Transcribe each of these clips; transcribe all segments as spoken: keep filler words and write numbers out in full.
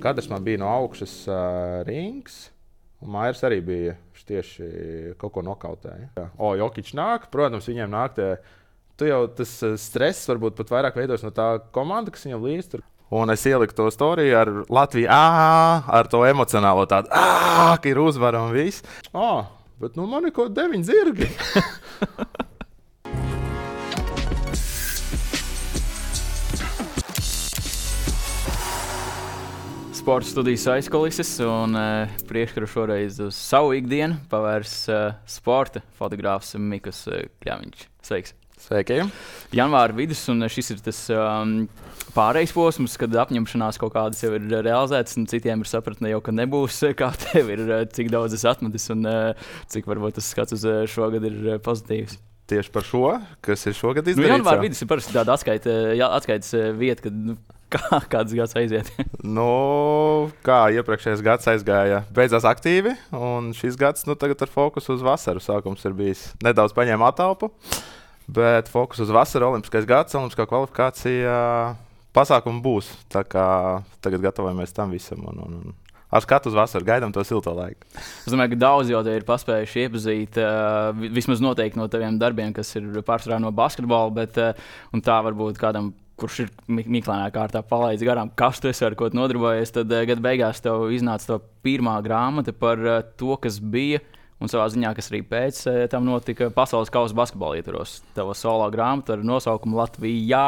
kadrs man bija no augšas uh, rings, un Mairs arī bija tieši kaut ko nokautēja. O, Jokić nāk, protams, viņiem nāk tie, tu jau tas stress varbūt pat vairāk veidos no tā komanda, kas viņam līdz tur. Un es ieliku to storiju ar Latviju, ā, ar to emocionālo tādu, ā, ka ir uzvara un viss. O, bet nu man ir kaut deviņi zirgi. Sporta studijas aizkulises un uh, priekškaru šoreiz uz savu ikdienu pavērs uh, sporta fotogrāfs Mikas uh, Kļaviņš. Sveiks! Sveiki! Janvāra vidus, un šis ir tas um, pārejas posms, kad apņemšanās kaut kādas jau ir realizētas, un citiem ir sapratne jau, ka nebūs, kā tev ir, cik daudz es atmetis, un uh, cik varbūt tas skats uz uh, šogad ir uh, pozitīvs. Tieši par šo, kas ir šogad izdarīts? Nu, Janvāra vidus ir parasti tāda atskaita, jā, atskaitas vieta, kad nu, kā, kāds gads aiziet. Nu, kā iepriekšējais gads aizgāja, beidzās aktīvi, un šis gads nu, tagad ar fokusu uz vasaru. Sākums ir bijis nedaudz paņēma atalpu, bet fokus uz vasaru, olimpiskais gads, olimpiskā kvalifikācija pasākumu būs. Tā kā tagad gatavojamies tam visam un, un, un ar skatu uz vasaru gaidām to silto laiku. Es domāju, ka daudz jau te ir paspējuši iepazīt, uh, vismaz noteikti no taviem darbiem, kas ir pārsvarā no basketbola, bet uh, un tā varbūt kādam, kurš ir mīklainā kārtā palaidis garām, kas tu esi ar ko nodarbojies, tad uh, gada beigās tev iznāca to pirmā grāmata par uh, to, kas bija, un savā ziņā, kas arī pēc uh, tam notika pasaules kausa basketbola ietvaros. Tava solo grāmata ar nosaukumu Latvijā.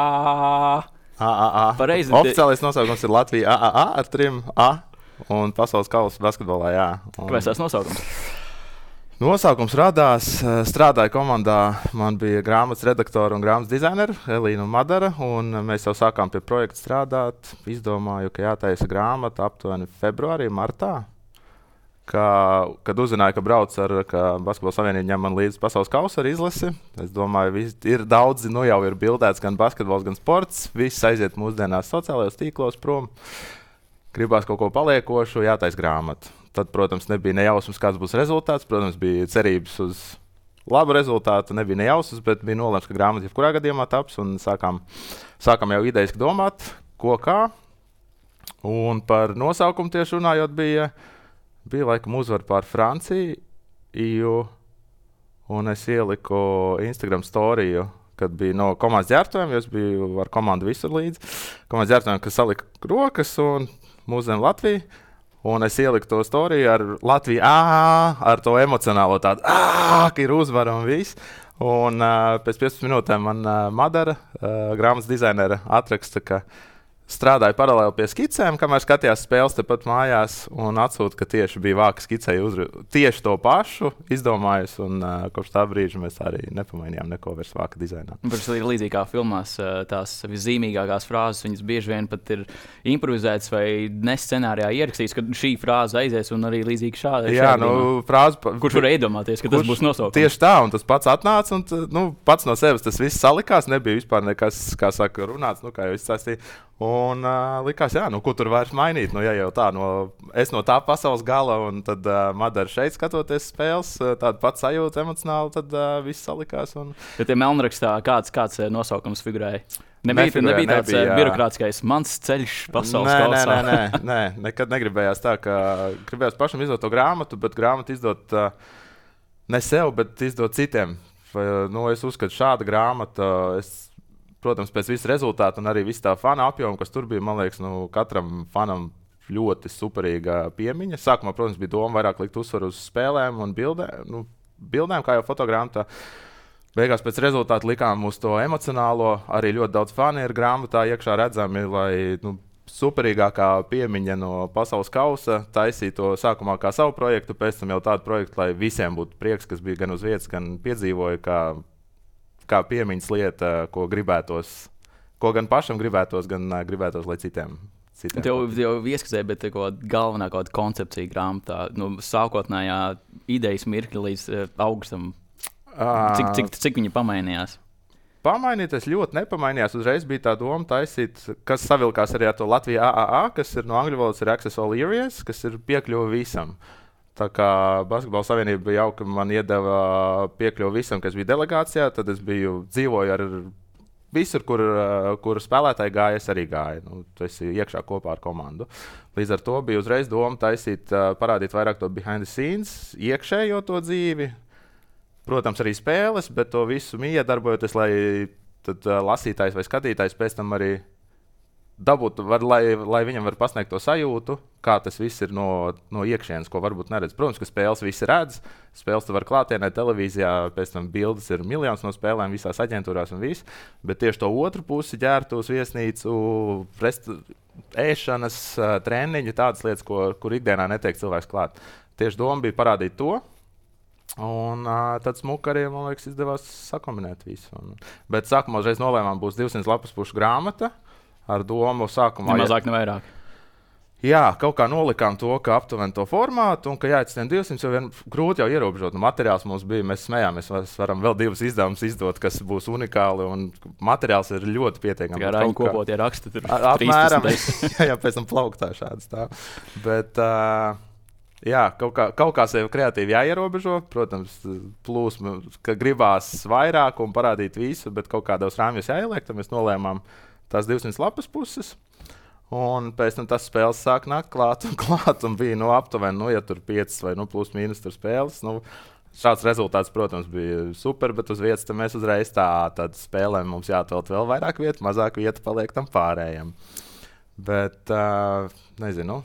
A, a, a. Pareizi. Oficiālais nosaukums ir Latvija A, A, A ar trim A. Un pasaules kausa basketbolā, jā. Un kāpēc tas nosaukums? Nosaukums radās, strādāja komandā, man bija grāmatas redaktora un grāmatas dizaineri, Elīna un Madara, un mēs jau sākām pie projekta strādāt. Izdomāju, ka jātaisa grāmata aptuveni februārī, martā, ka, kad uzzināju, ka brauc ar, ka Basketbola savienība ņem man līdz pasaules kausa ar izlasi. Es domāju, vis, ir daudzi, nu jau ir bildēts gan basketbols, gan sports, viss aiziet mūsdienās sociālajos tīklos prom. Gribās kaut ko paliekošu, jātais grāmata. Tad, protams, nebija nejausmas, kāds būs rezultāts. Protams, bija cerības uz labu rezultātu, nebija nejausmas, bet bija nolēmts, ka grāmata jebkurā gadījumā taps. Un sākām, sākām jau idejiski domāt, ko kā. Un par nosaukumu tieši runājot, bija, bija laikam uzvara pār Franciju. Un es ieliku Instagram storiju, kad bija no komandas ģērbtuviem, jo es biju ar komandu visur līdzi. Komandas ģērbtuviem, kas salika rokas un Mūzēm Latviju, un es ieliku to storiju ar Latviju, ā, ar to emocionālo tādu, ā, ka ir uzvara un viss. Un uh, pēc piecpadsmit minūtēm man uh, Madara, uh, grāmatas dizainere, atraksta, ka strādāja paralēli pie skicēm, kamēr skatījās spēles tepat mājās, un atsūta, ka tieši bija vāka skicēja uzru, tieši to pašu izdomājis, un uh, kopš tā brīža mēs arī nepamainījām neko vairs vāka dizainā. Tas ir līdzīgi kā filmās, tās viszīmīgākās frāzes, viņas bieži vien pat ir improvizētas vai ne scenārijā ierakstītas, ka šī frāze aizies un arī līdzīgi šāda. Jā, nu, frāze... Pa, kurš var iedomāties, ka kurš, tas būs nosaukums? Tieši tā, un tas pats atnāca, un nu, pats no sevis tas viss salikās, nebija vispār nekas, kā saka, runāts, nu, kā jau izstāstīja. Un uh, likās, jā, nu, ko tur vairs mainīt, nu, ja jau tā, no, es no tā pasaules gala, un tad uh, Madara šeit skatoties spēles, uh, tāda pats sajūta emocionāli, tad uh, viss salikās. Un... Ja tie melnrakstā kāds, kāds nosaukums figurēja? Nebija, nebija, nebija tāds nebija, birokrātiskais mans ceļš pasaules nē, kausā. Nē, nē, nē, nē, nekad negribējās tā, ka gribējās pašam izdot to grāmatu, bet grāmatu izdot uh, ne sev, bet izdot citiem. Vai, nu, es uzskatu, šāda grāmata, es, protams, pēc visu rezultātu un arī visu tā fana apjomu, kas tur bija, man liekas, nu, katram fanam ļoti superīga piemiņa. Sākumā, protams, bija doma vairāk likt uzsvaru uz spēlēm un bildēm, nu, bildēm kā jau fotogrāmatā. Beigās pēc rezultātu likām uz to emocionālo, arī ļoti daudz fani ir grāmatā iekšā redzami, lai nu, superīgākā piemiņa no pasaules kausa taisīto sākumā kā savu projektu, pēc tam jau tādu projektu, lai visiem būtu prieks, kas bija gan uz vietas, gan piedzīvoja, kā, kā piemiņas lieta, ko gribētos, ko gan pašam gribētos, gan uh, gribētos, lai citiem. citiem Tev jau ieskazēja, bet kaut galvenā kaut koncepcija grāmatā, nu, sākotnējā idejas mirkļa līdz uh, augustam. Cik, cik, cik viņi pamainījās? Pamainīties ļoti nepamainījās. Uzreiz bija tā doma taisīt, kas savilkās arī ar to Latviju A A A, kas ir no angļu valodas ir Access All Areas, kas ir piekļuva visam. Tā kā Basketbola savienība bija jauka, man iedeva piekļuvu visam, kas bija delegācijā, tad es biju dzīvoju ar visur, kur, uh, kur spēlētāji gāja, es arī gāju. Nu, tu esi iekšā kopā ar komandu. Līdz ar to bija uzreiz doma taisīt, uh, parādīt vairāk to behind the scenes, iekšējo to dzīvi. Protams, arī spēles, bet to visu miedarbojoties, lai tad, uh, lasītājs vai skatītājs pēc tam arī dabūt, var, lai, lai viņam var pasniegt to sajūtu, kā tas viss ir no, no iekšienes, ko varbūt neredz. Protams, ka spēles visi redz, spēles tu var klātienē, televīzijā, pēc tam bildes ir miljons no spēlēm visās aģentūrās un viss, bet tieši to otru pusi ģērbtos, viesnīcu, rest, ēšanas, treniņu, tādas lietas, ko, kur ikdienā netiek cilvēks klāt. Tieši doma bija parādīt to, un uh, tad smuka arī, man liekas, izdevās sakombinēt visu. Un, bet sākumā uzreiz nolēmām būs divsimt lapas pušu grāmata, ar domu sākumā. Ne mazāk, ne vairāk. Jā, kaut kā nolikām to, ka aptuveni to formātu, un ka jāatstien divsimt, jo vien grūti jau ierobežot. Nu, materiāls mums bija, mēs smējāmies, mēs varam vēl divus izdevumus izdot, kas būs unikāli, un materiāls ir ļoti pietiekami. Kā rāņu kopotie raksti tur. Apmēram, jā, jā, pēc tam plauktā šāds tā. Bet, uh, jā, kaut kā, kaut kā sevi kreatīvi jāierobežo, protams, plūsma, ka gribās vairāk un parādīt visu, bet kaut kādos rāmjos jāieliek, tad mēs nolēmām tās divsimt lapas puses, un pēc tam tas spēles sāk nākt klāt un klāt, un bija, nu, aptuveni, nu, ja tur piecas vai, nu, plus mīnus tur spēles, nu, šāds rezultāts, protams, bija super, bet uz vietas tam mēs uzreiz tā, tad spēlēm mums jāatvēlt vēl vairāk vietu, mazāk vietu paliek tam pārējiem. Bet, uh, nezinu.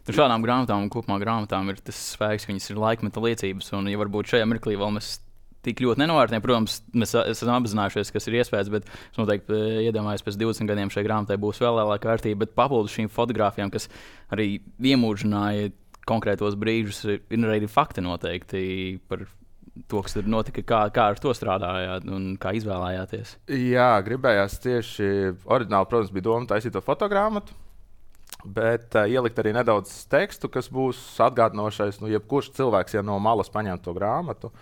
Tur šādām grāmatām un kopumā grāmatām ir tas spēks, viņas ir laikmeta liecības, un ja varbūt šajā mirklī vēl mēs tik ļoti nenovērtējam. Protams, mēs esam apzinājušies, kas ir iespējas, bet es noteikti iedomājos, pēc divdesmit gadiem šai grāmatai būs vēl lielāka vērtība. Bet papildus šīm fotogrāfijām, kas arī iemūžināja konkrētos brīžus, ir arī fakti noteikti par to, kas tur notika, kā, kā ar to strādājāt un kā izvēlējāties. Jā, gribējās tieši oriģināli, protams, bija doma taisīt to fotogrāmatu, bet uh, ielikt arī nedaudz tekstu, kas būs atgādinošais, nu, jebkurš cilvēks, ja no malas paņem to grāmatu,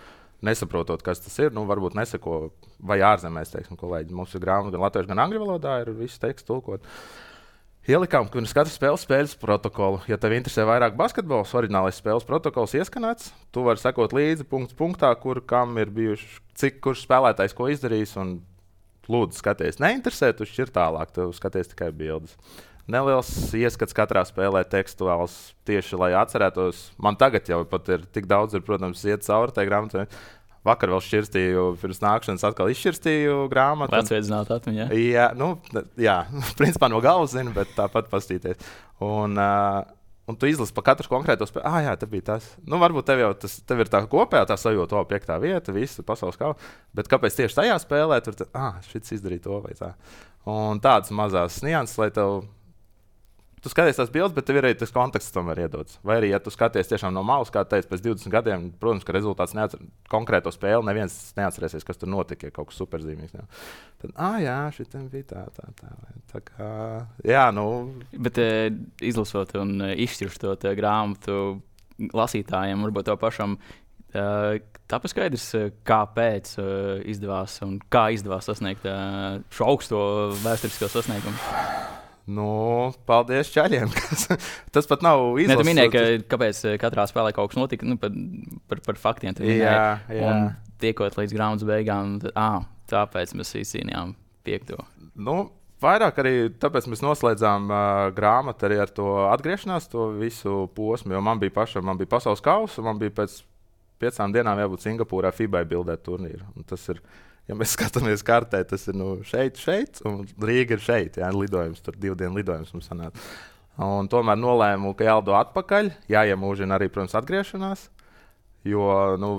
nesaprotot, kas tas ir, nu, varbūt neseko, vai ārzemēs, teiksim, kolēģi. Mums ir grāmata gan latviešu, gan angļu valodā, ir visu tekstu tulkot. Ielikām, ka pirms katras spēles spēles protokolu. Ja tev interesē vairāk basketbols, oriģinālais spēles protokols ieskanēts, tu vari sekot līdzi punkts punktā, kur kam ir bijuši, cik kurš spēlētājs ko izdarījis, un lūdzu skaties. Neinteresē, tu šķir tālāk, tu skaties tikai bildes. Neliels ieskats katrā spēlē tekstuāls tieši, lai atcerētos. Man tagad jau pat ir tik daudz, ir, protams, iet cauri tai grāmatai. Vakar vēl šķirstīju, pirms nākšanas atkal izšķirstīju grāmatu. Atsveicināt atmiņā. Jā, nu, jā, principā no galvas zinu, bet tāpat pastīties. Un, uh, un tu izlasi pa katru konkrēto spēli. Ah, jā, tā bija tas. Nu, varbūt tev jau tas, tev ir tā kopējā tā sajūta, o, piektā vieta, visu pasaules kausa. Bet kāpēc tieši tajā spēlē, tur, tā, ah, šits izdarīja to vai tā. Un tādas mazās nianses, lai tev tu skaties tās bildes, bet tev ir arī tas konteksts tomēr iedots. Vai arī, ja tu skaties tiešām no malas, kā teicu, pēc divdesmit gadiem, protams, ka rezultāts neatcer, konkrēto spēli, neviens neatcerēsies, kas tur notika, ja kaut kas superzīmīgs. Jā. Tad, ah, jā, šitam bija tā, tā, tā. Tā kā, jā, nu. Bet e, izlasot un e, izšķirstot e, grāmatu lasītājiem, varbūt to pašam, e, tāpēc skaidrs, kāpēc e, izdevās un kā izdevās sasniegt e, šo augsto vēsturisko sasniegumu. Nu, paldies čaļiem. Tas pat nav izlasīts. Tu minēji, ka kāpēc katrā spēlē kaut kas notika, nu, par, par, par faktiem. Jā, jā. Un tiekot līdz grāmatas beigām, tad, ā, tāpēc mēs izcīnījām piekto. Nu, vairāk arī tāpēc mēs noslēdzām uh, grāmatu arī ar to atgriešanās, to visu posmu, jo man bija pašam, man bija pasaules kausa, man bija pēc piecām dienām jābūt Singapūrā F I B A bildēt turnīru. Un tas ir, ja mēs skatāmies kartē, tas ir nu, šeit, šeit, un Rīga ir šeit. Jā, lidojums, tur divu dienu lidojums mums sanāk. Un tomēr nolēmu, ka jālido atpakaļ, jāiemūžina arī, protams, atgriešanās, jo nu,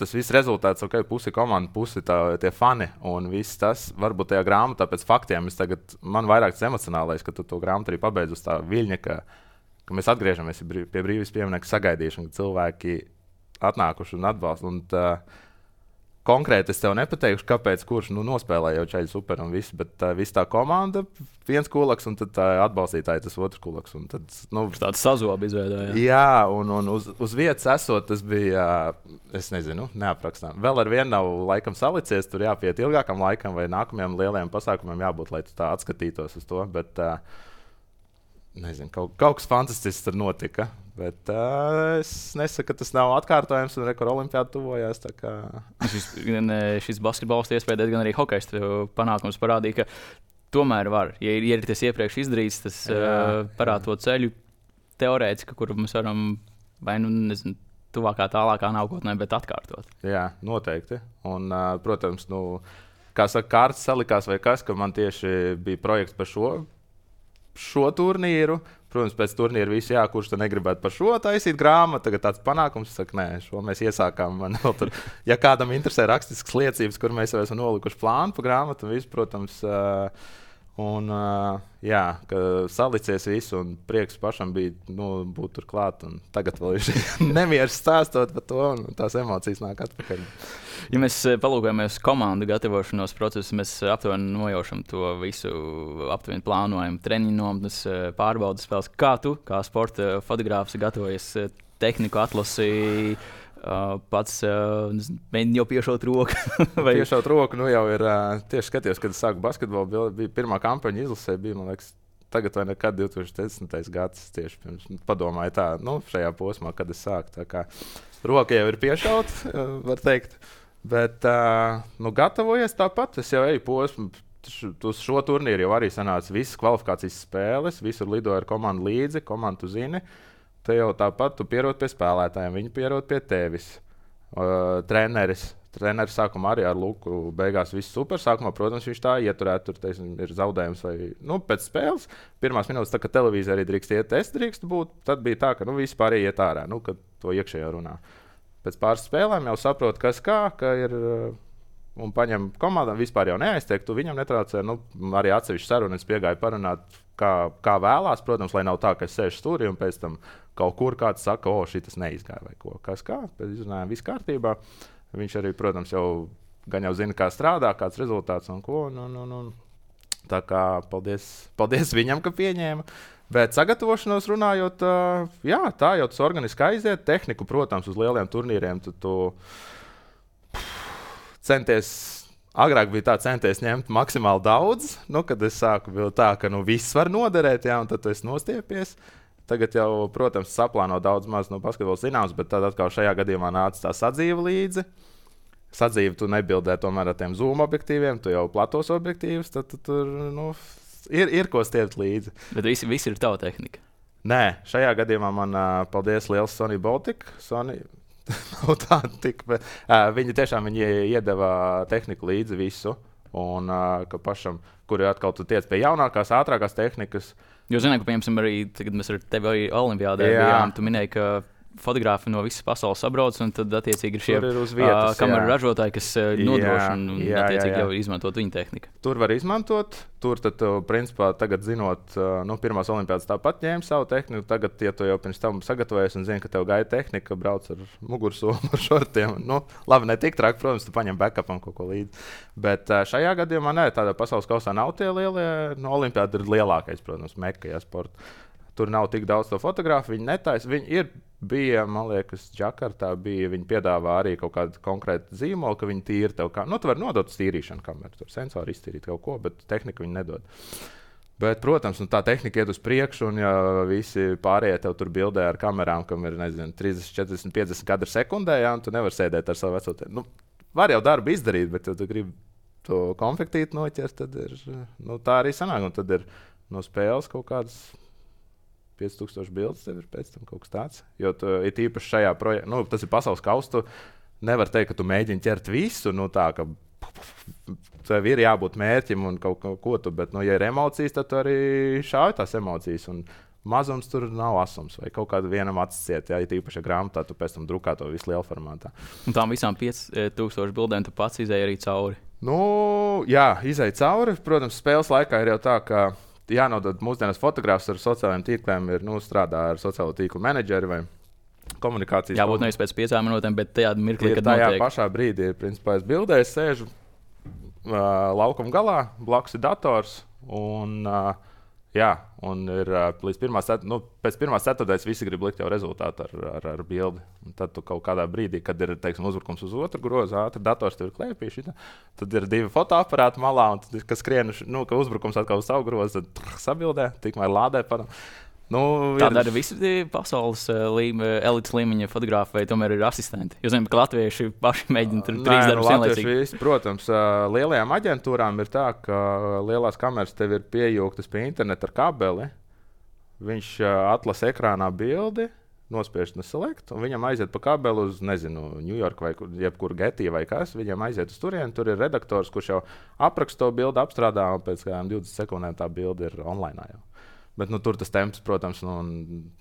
tas viss rezultāts, ok, pusi komanda, pusi tā, tie fani un viss tas, varbūt tajā grāmatā pēc faktiem, es tagad, man vairāk tas emocionālais, ka tu to grāmatu arī pabeidz uz tā viļņa, ka, ka mēs atgriežamies pie brīvības pieminekļa sagaidīšana, ka cilvēki atnākuši un atbalsta. Un tā, konkrēti es tev nepateikšu, kāpēc, kurš nu, nospēlēja jau čaļi super un viss, bet uh, viss tā komanda, viens kulaks un tad tā atbalstītāji tas otrs kulaks. Un tad, nu, tāds sazobi izveidojās. Jā, un, un uz, uz vietas esot, tas bija, uh, es nezinu, neaprakstām. Vēl ar vienu nav laikam salicies, tur jāpiet ilgākam laikam vai nākamajam lielajam pasākumam jābūt, lai tu tā atskatītos uz to, bet uh, nezinu, kaut, kaut kas fantastisks tur notika. Bet uh, es nesaku, ka tas nav atkārtojams, un rekord olimpiāda tuvojās. Kā... šis, šis basketbols, iespējams, gan arī hokejs panākums parādīja, ka tomēr var. Ja ir, ja ir tas iepriekš izdarīts, tas jā, uh, parāda to ceļu teorētiski, kuru mēs varam vai nu nezinu, tuvākā, tālākā nākotnē, bet atkārtot. Jā, noteikti. Un, uh, protams, nu, kā saka, kārtas salikās vai kas, ka man tieši bija projekts par šo, šo turnīru. Protams, pēc turnīra visi, jā, kurš negribētu par šo taisīt grāmatu, tagad tāds panākums, saka, nē, šo mēs iesākām. Man vēl tur, ja kādam interesē rakstiskas liecības, kur mēs jau esam nolikuši plānu par grāmatu, un visu, protams, uh, un, uh, jā, ka salicies visu, un prieks pašam bija, nu, būt tur klāt, un tagad vēl ir nemieris stāstot par to, un tās emocijas nāk atpakaļ. Ja mēs palūkojamies komandu gatavošanos procesu, mēs aptuveni nojaušam to visu, aptuveni plānojam treniņu nometnes, pārbaudas spēles. Kā tu, kā sporta fotogrāfs, gatavojies tehniku atlasī, pats mēģini jau piešaut roku? Vai... Piešaut roku, nu jau ir, tieši skatījos, kad es sāku basketbolu, bija pirmā kampaņa izlasē, bija, man liekas, tagad vai nekad divi tūkstoši desmitais gads, tieši pirms padomāju tā, nu, šajā posmā, kad es sāku, tā kā roka jau ir piešaut, var teikt. Bet, uh, nu, gatavojies tāpat. Es jau eju posmu, uz šo turnīru jau arī sanāca visas kvalifikācijas spēles, visur lidoja ar komandu līdzi, komandu zini. Te jau tāpat tu pierod pie spēlētājiem, viņi pierod pie tevis. Uh, treneris, treneris sākumā arī ar Luku, beigās viss super. Sākumā, protams, viņš tā ieturēt, tur teiksim, ir zaudējums vai, nu, pēc spēles. Pirmās minūtes, tā, ka televīzija arī drīkst iet, es drīkst būt, tad bija tā, ka, nu, visi pārējie iet ārā, nu, kad to iekšējā runā. Pēc pāris spēlēm jau saprotu, kas kā, ka ir, un paņem komandām, vispār jau neaiztiek, tu viņam netraucē, nu, arī atsevišķi sarunas piegāja parunāt, kā, kā vēlās, protams, lai nav tā, ka es sēžu stūrī un pēc tam kaut kur kāds saka, o, šitas neizgāja vai ko, kas kā, pēc izrunājām viss kārtībā. Viņš arī, protams, jau gan jau zina, kā strādā, kāds rezultāts un ko, un, un, un, un. Tā kā paldies, paldies viņam, ka pieņēma. Bet sagatavošanos runājot, uh, jā, tā jau tas organiski aiziet. Tehniku, protams, uz lieliem turnīriem tu, tu centies, agrāk bija tā, centies ņemt maksimāli daudz. Nu, kad es sāku, bija tā, ka nu, viss var noderēt, jā, un tad tu esi nostiepies. Tagad jau, protams, saplāno daudz maz no basketbola zināms, bet tad atkal šajā gadījumā nāca tā sadzīve līdzi. Sadzīve tu nebildē tomēr ar tiem zoom objektīviem, tu jau platos objektīvus, tad tu tur, nu... Ir, ir ko stiept līdzi. Bet visi, visi ir tava tehnika? Nē, šajā gadījumā man uh, paldies liels Sony Baltic. Sony nav tāda tik, bet uh, viņi tiešām viņi iedeva tehniku līdzi visu. Un uh, ka pašam, kuri atkal tu tiec pie jaunākās, ātrākās tehnikas. Jo zinu, ka, piemēram, arī, kad mēs ar tevi arī olimpiādē bijām, tu minēji, ka fotografi no visas pasaules sabrauc, un tad attiecīgi ir šie uh, kameru ražotāji, kas uh, nodrošina un jā, attiecīgi jā, jā. Jau izmantot viņa tehniku. Tur var izmantot, tur tad, principā, tagad zinot, uh, nu, pirmās olimpiādas tāpat ņēma savu tehniku, tagad, ja tu jau pirms tam sagatavojies un zini, ka tev gaida tehnika, brauc ar mugursomu, ar šortiem, nu, labi, ne tik traki, protams, tu paņem backupam kaut ko līdzi, bet uh, šajā gadījumā, nē, tādā pasaules kausā nav tie lielie, no olimpiāda ir lielākais, protams, meka, jā, sporta. Tur nav tik daudz to fotografu, viņi netaisa, viņi ir, bija, man liekas, Džakartā bija, viņi piedāvā arī kaut kādu konkrētu zīmolu, ka viņi tīri tev kā, nu, tu vari nodot tīrīšanu kameru, tur sensori iztīrīt kaut ko, bet tehnika viņi nedod. Bet, protams, nu, tā tehnika iet uz priekšu, un ja visi pārējie tev tur bildē ar kamerām, kam ir, nezinu, trīsdesmit, četrdesmit, piecdesmit kadri sekundē, jā, un tu nevar sēdēt ar savu veco te. Nu, var jau darbu izdarīt, bet ja tu gribi to konfektīti noķert, tad ir, nu, tā arī sanāk, un tad ir no spēles kaut kādas pieci tūkstoši bildes tev ir pēc tam kaut kas tāds. Jo tu, ir īpaši šajā projektā, nu, tas ir pasaules kaustu, nevar teikt, ka tu mēģini ķert visu, nu tā, ka tev ir jābūt mērķim un kaut ko tu, bet, nu, ja ir emocijas, tad tu arī šauj tās emocijas, un mazums tur nav asums, vai kaut kādu vienam acis ciet, ja ir īpaši grāmatā, tu pēc tam drukā to visu lielu formātā. Un tām visām pieci tūkstoši bildēm tu pats izēji arī cauri? Nu, jā, izēji cauri, protams, spēles laikā ir jau tā, ka jānodod mūsdienas fotogrāfs ar sociālajiem tīkliem, ir, nu, strādā ar sociālo tīklu menedžeri vai komunikācijas. Jābūt nevis pēc piecām minūtēm, bet tajā mirklī, kad tajā notiek. Pašā brīdī, principā, es bildēju, sēžu uh, laukuma galā, blakus ir dators, un, uh, Jā, un ir līdz pirmās, nu, pēc pirmās ceturtdaļas visi grib likt jau rezultātu ar, ar, ar bildi. Un tad tu kaut kādā brīdī, kad ir, teiksim, uzbrukums uz otru grozu, ātri dators tev ir klēpī, šitā, tad ir divi fotoaparāti malā, un tad, kas skrien, nu, ka uzbrukums atkal uz savu grozu, tad trrr, sabildē, tikmēr lādē par. Nu, tā ir... dara visi pasaules līme, elites līmeņa fotografi, vai tomēr ir asistenti? Jūs zināt, ka latvieši paši mēģina tur trīs darbus vienlaicīgi. Visi, protams, lielajām aģentūrām ir tā, ka lielās kameras tev ir piejūgtas pie interneta ar kabeli. Viņš atlasa ekrānā bildi, nospiež no select, un viņam aiziet pa kabeli uz, nezinu, New York vai jebkur Getty vai kas. Viņam aiziet uz turieni, tur ir redaktors, kurš jau apraksta to bildi, apstrādā, un pēc kādām divdesmit sekundēm tā bildi ir online jau. Bet nu, tur tas temps, protams, nu,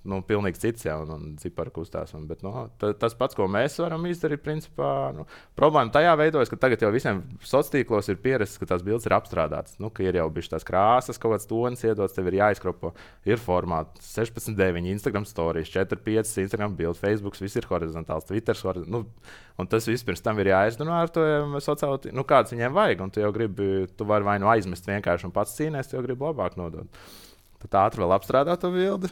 nu, pilnīgi cits jau, un, un cipari kustās. Un, bet, nu, t, tas pats, ko mēs varam izdarīt, principā, nu, problēma tajā veidojas, ka tagad jau visiem sociālos tīklos ir pierasts, ka tās bildes ir apstrādātas. Nu, ka ir jau bijušas tās krāsas, kaut kāds tonis iedots, tev ir jāizkropo. Ir formāti sešpadsmit deviņi, Instagram stories, četri pieci Instagram bildi, Facebook, viss ir horizontāls, Twitter horizontāls. Nu, un tas viss pirms tam ir jāizrunā ar to sociālo tīklu, nu, kāds viņiem vajag. Un tu jau gribi, tu vari vai nu aizmest vienkārši un pats cīnēs, tu jau gribi labāk nodot. Tad ātri vēl apstrādā to bildi.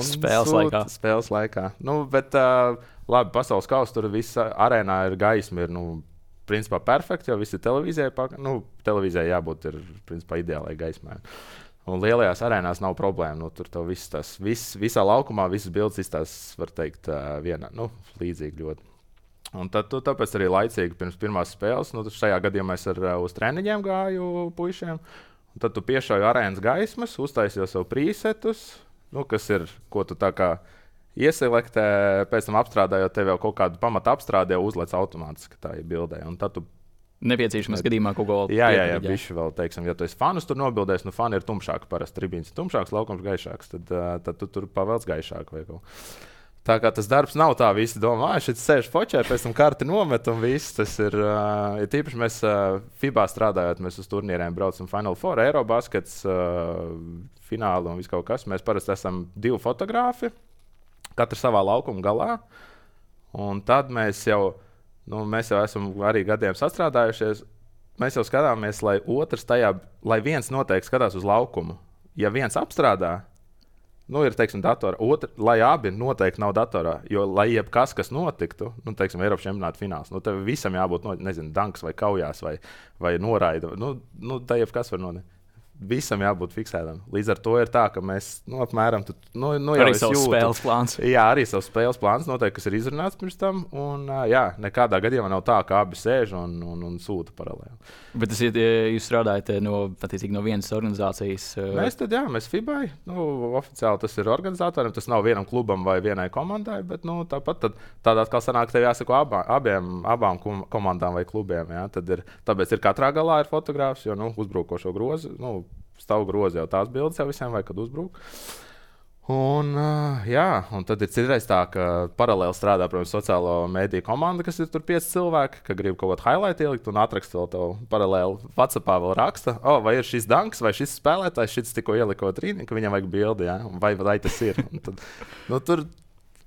Spēles sūt, laikā. Spēles laikā. Nu, bet, uh, labi, pasaules kausa tur viss arēnā ir gaisma, ir, nu, principā perfekti, jo viss ir televīzijai. Nu, televīzijai jābūt ir, principā, ideālai gaismai. Un lielajās arēnās nav problēma. Nu, tur tev viss tas, viss, visā laukumā, visas bildes izstās, var teikt, uh, vienā, nu, līdzīgi ļoti. Un tad, tu, tāpēc arī laicīgi pirms pirmās spēles, nu, šajā gadījumā es ar, uz treniņiem gāju puišiem. Un tad tu piešauji arēnas gaismas, uztaisīji sev presetus, nu, kas ir, ko tu tā kā ieselektē, pēc tam apstrādājot, tev jau kaut kādu pamatu apstrādi jau uzliec automātiski tā ir bildē. Un tad tu nepieciešams gadījumā kaut ko vēl. Jā, jā, jā, bišķi vēl, teiksim, ja tu esi fanus tur nobildējis, nu, fani ir tumšāki, parasti tribīns ir tumšāks, laukums gaišāks, tad, tad tu tur pavelc gaišāk vai kaut. Tā kā tas darbs nav tā, visi domā, ah, šeit sēž fočē, pēc tam karti nomet un viss. Tas ir, uh, ir tīpaši mēs uh, FIBA strādājot, mēs uz turnīriem braucam Final Four, Eirobaskets, uh, fināli un viss kaut kas. Mēs parasti esam divi fotogrāfi, katrs savā laukuma galā. Un tad mēs jau, nu, mēs jau esam arī gadiem sastrādājušies. Mēs jau skatāmies, lai otrs tajā, lai viens noteikti skatās uz laukumu. Ja viens apstrādā, nu, ir, teiksim, datorā. Otra, lai abi noteikti nav datorā, jo, lai jebkas, kas notiktu, nu, teiksim, Eiropas čempionāta fināls, nu, tev visam jābūt, no, nezinu, danks vai kaujās vai, vai noraida. Nu, nu, tā jebkas var notikt. Visam jābūt fiksētam. Līdz ar to ir tā, ka mēs, nu, apmēram, tu, nu, nu jau arī savs spēles plāns. Jā, arī savs spēles plāns noteikti, kas ir izrunāts pirms tam, un, jā, nekādā gadījumā nav tā, ka abi sēž un, un, un sūta paralēli. Bet tas ir, jūs strādājat no, attiecīgi, no vienas organizācijas? Mēs tad, jā, mēs FIBA, nu, oficiāli tas ir organizatoriem, tas nav vienam klubam vai vienai komandai, bet, nu, tāpat tad, tādā kā sanāk, tev jāsako abā, abiem, abām komandām vai klubiem, jā, tad ir, tāpēc ir katrā galā ir fotogrāfs, jo, nu, uzbrukošo grozi, nu, stāv grozi jau tās bildes jau visiem, vai kad uzbruk. Un, uh, jā, un tad ir citreiz tā, ka paralēli strādā, protams, sociālo mediju komanda, kas ir tur pieci cilvēki, ka grib kaut kādu highlight ielikt un atrakst vēl tev paralēli WhatsAppā vēl raksta, oh, vai ir šis danks, vai šis spēlētājs, šis tikko ieliko trīni, ka viņam vajag bildi, jā, vai, vai tas ir. Un tad, nu, tur,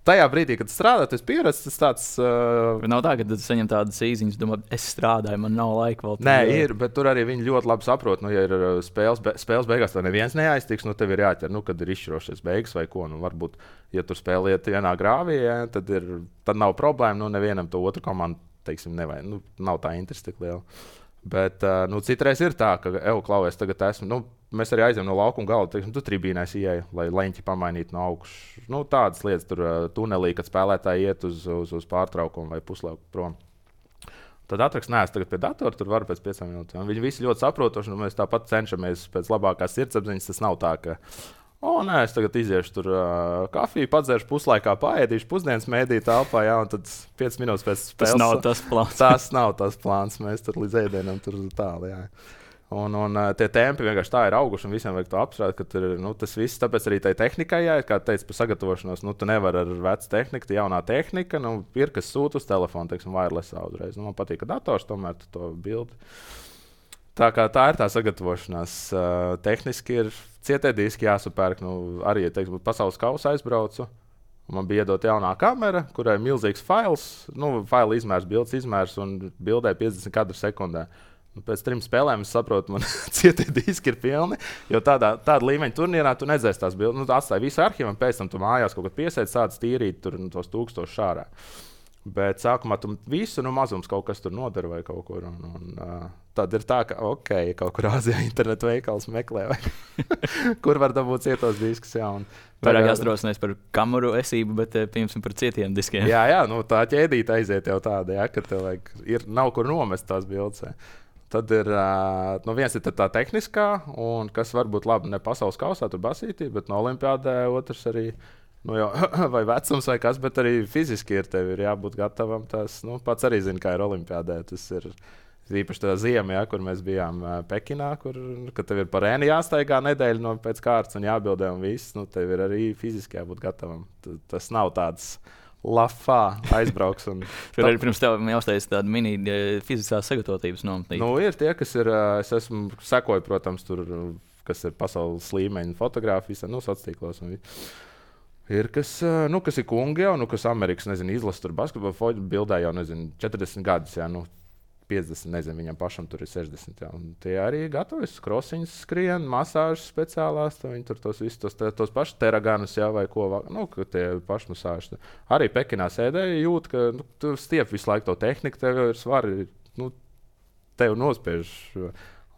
tajā brīdī, kad strādā, tas pieredzi, tas tāds... Uh... Nav tā, ka tu saņem tādas īziņas, domā, es strādāju, man nav laika vēl. Nē, ir, bet tur arī viņi ļoti labi saprot, nu, ja ir spēles, be, spēles beigās, tad neviens neaiztiks, nu, tev ir jāķer, nu, kad ir izšķirošies beigas vai ko, nu, varbūt, ja tur spēliet vienā grāvī, ja, tad, ir, tad nav problēma, nu, nevienam to otru komandu, teiksim, nevajag, nu, nav tā interesi tik liela. Bet, uh, nu, citreiz ir tā, ka, evo, Klau, es tagad esmu, nu, mēs arī aizējām no laukuma gala, teiksim, tu tribīnēs ieeja, lai leņķi pamainītu no augšas. Nu, tādas lietas tur uh, tunelī, kad spēlētāji iet uz, uz, uz pārtraukumu vai puslauku prom. Tad atrakst, nē, es tagad pie datora, tur varu pēc piecām minūtēm. Viņi visi ļoti saprotoši, un mēs tāpat cenšamies pēc labākās sirdsapziņas. Tas nav tā, ka, o, nē, es tagad iziešu tur uh, kafiju, padzeršu puslaikā, paēdīšu pusdienas mēdī telpā, jā, un tad piecas minūtes pēc spēles. Tas nav tas plāns. Tas nav tas plāns, mēs tur līdz ēdienam tur tālu, jā. Un, un tie tempi vienkārši tā ir auguši, un visiem vajag to apstrādāt, ka tur, nu, tas viss, tāpēc arī tai tehnikai, jā, kā teicu, par sagatavošanos, nu, tu nevar ar vecu tehniku, tā jaunā tehnika, nu, ir, kas sūta uz telefonu, teiksim, wirelessā uzreiz. Nu, man patīk, ka dators tomēr to bildi. Tā kā tā ir tā sagatavošanās. Uh, tehniski ir cietie diski jāsapērk, nu, arī, teiksim, pasaules kausa aizbraucu. Man bija iedot jaunā kamera, kurai ir milzīgs fails, nu, faila izmērs, bildes izmērs un bildē piecdesmit kadru sekundē. Nu, pēc trim spēlēm es saprotu, man cietie diski ir pilni. Jo tādā, tāda līmeņa turnīrā tu nedzēsi tās bildes. Nu, tu atstāji visu arhīvu, un pēc tam tu mājās kaut kad piesēdi, sāc tīrīt tur, nu, tos tūkstošus šārā. Bet sākumā tu visu nu, mazums kaut kas tur nodara vai kaut kur. Un, un, uh, tad ir tā, ka ok, kaut kur Āzijā internetu veikals meklē, vai kur var dabūt cietos diskus. Jā, un vairāk jāstrosnēs par kameru esību, bet piemēram par cietiem diskiem. Jā, jā, nu, tā ķēdīte aiziet jau tāda, ja, ka tev vajag, ir, nav kur nomest tās bildes. Tad ir uh, nu, viens ir tā tehniskā, un kas varbūt labi ne pasaules kausā, tur basītī, bet no olimpiādē otrs arī. Nu, jau, vai vecums, vai kas, bet arī fiziski ir tev ir jābūt gatavam. Tas, nu, pats arī zina, kā ir olimpiādē. Tas ir īpaši tā ziema, ja, kur mēs bijām uh, Pekinā, kur tev ir par ēnu jāstaigā nedēļu no pēc kārtas un jābildē un viss. Nu, tev ir arī fiziski jābūt gatavam. T tas nav tāds lafā aizbrauks. Un tur arī pirms tev jāuztais tāda mini fiziskās sagatavotības nometnīte. Nu, ir tie, kas ir, uh, es esmu sekoju, protams, tur, kas ir pasaules līmeņa fotogrāfijas, nu, sociālos un viss. Ir, kas, nu, kas ir kungi jau, nu, kas Amerikas, nezinu, izlasa tur basketbolu foļu bildē jau, nezinu, četrdesmit gadus, jā, nu, piecdesmit, nezinu, viņam pašam tur ir sešdesmit, jā. Un tie arī gatavojas, krosiņas skrien, masāžas speciālās, viņi tur tos visus, tos, tos pašus teraganus, jā, vai ko, nu, ka tie paši masāžas. Arī Pekinā sēdēja jūt, ka, nu, tu stiep visu laiku to tehniku, tev ir svari, nu, tev nospiež.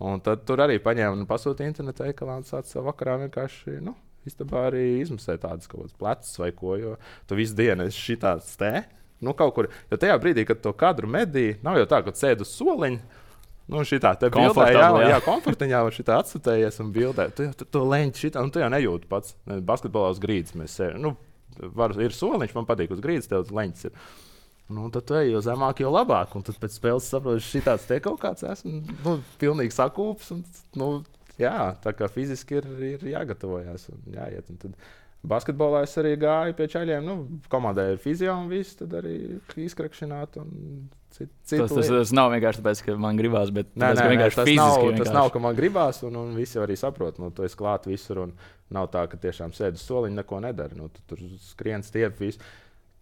Un tad tur arī paņēma un pasūtīja internetu veikalā un sāca savu vakarā vienkārši, nu, istabā arī izmasē tādas kaut kādas plecas vai ko, jo tu visu dienu esi šitāds te, nu kaut kur, jo tajā brīdī, kad to kadru medī, nav jau tā, ka sēd uz soliņa, nu šitā te bildē, jā, jā, jā komfortiņā var šitā atsutējies un bildē, tu jau tu, to leņķi šitā, un tu jau nejūti pats, basketbolā uz grīdas mēs sēžam, nu, var, ir soliņš, man patīk uz grīdas, tev leņķis ir. Nu, tad tu ej, jo zemāk, jo labāk, un tad pēc spēles saprotu, šitāds te kaut kāds esmu, nu, pilnīgi sakūps, un, nu, jā, tā kā fiziski ir, ir jāgatavojas un jāiet. Un tad basketbolā es arī gāju pie čaļiem. Nu, komandai ir fizio un viss, tad arī izkrakšināt un citu citu tas, tas, tas nav vienkārši tāpēc, ka man gribās, bet nē, tāpēc, nē, ka vienkārši tas fiziski nav, vienkārši. Tas nav, ka man gribās, un, un visi arī saprot. Nu, tu esi klāt visur un nav tā, ka tiešām sēdi uz soliņa, neko nedari. Nu, tu tur skrien stiep visu.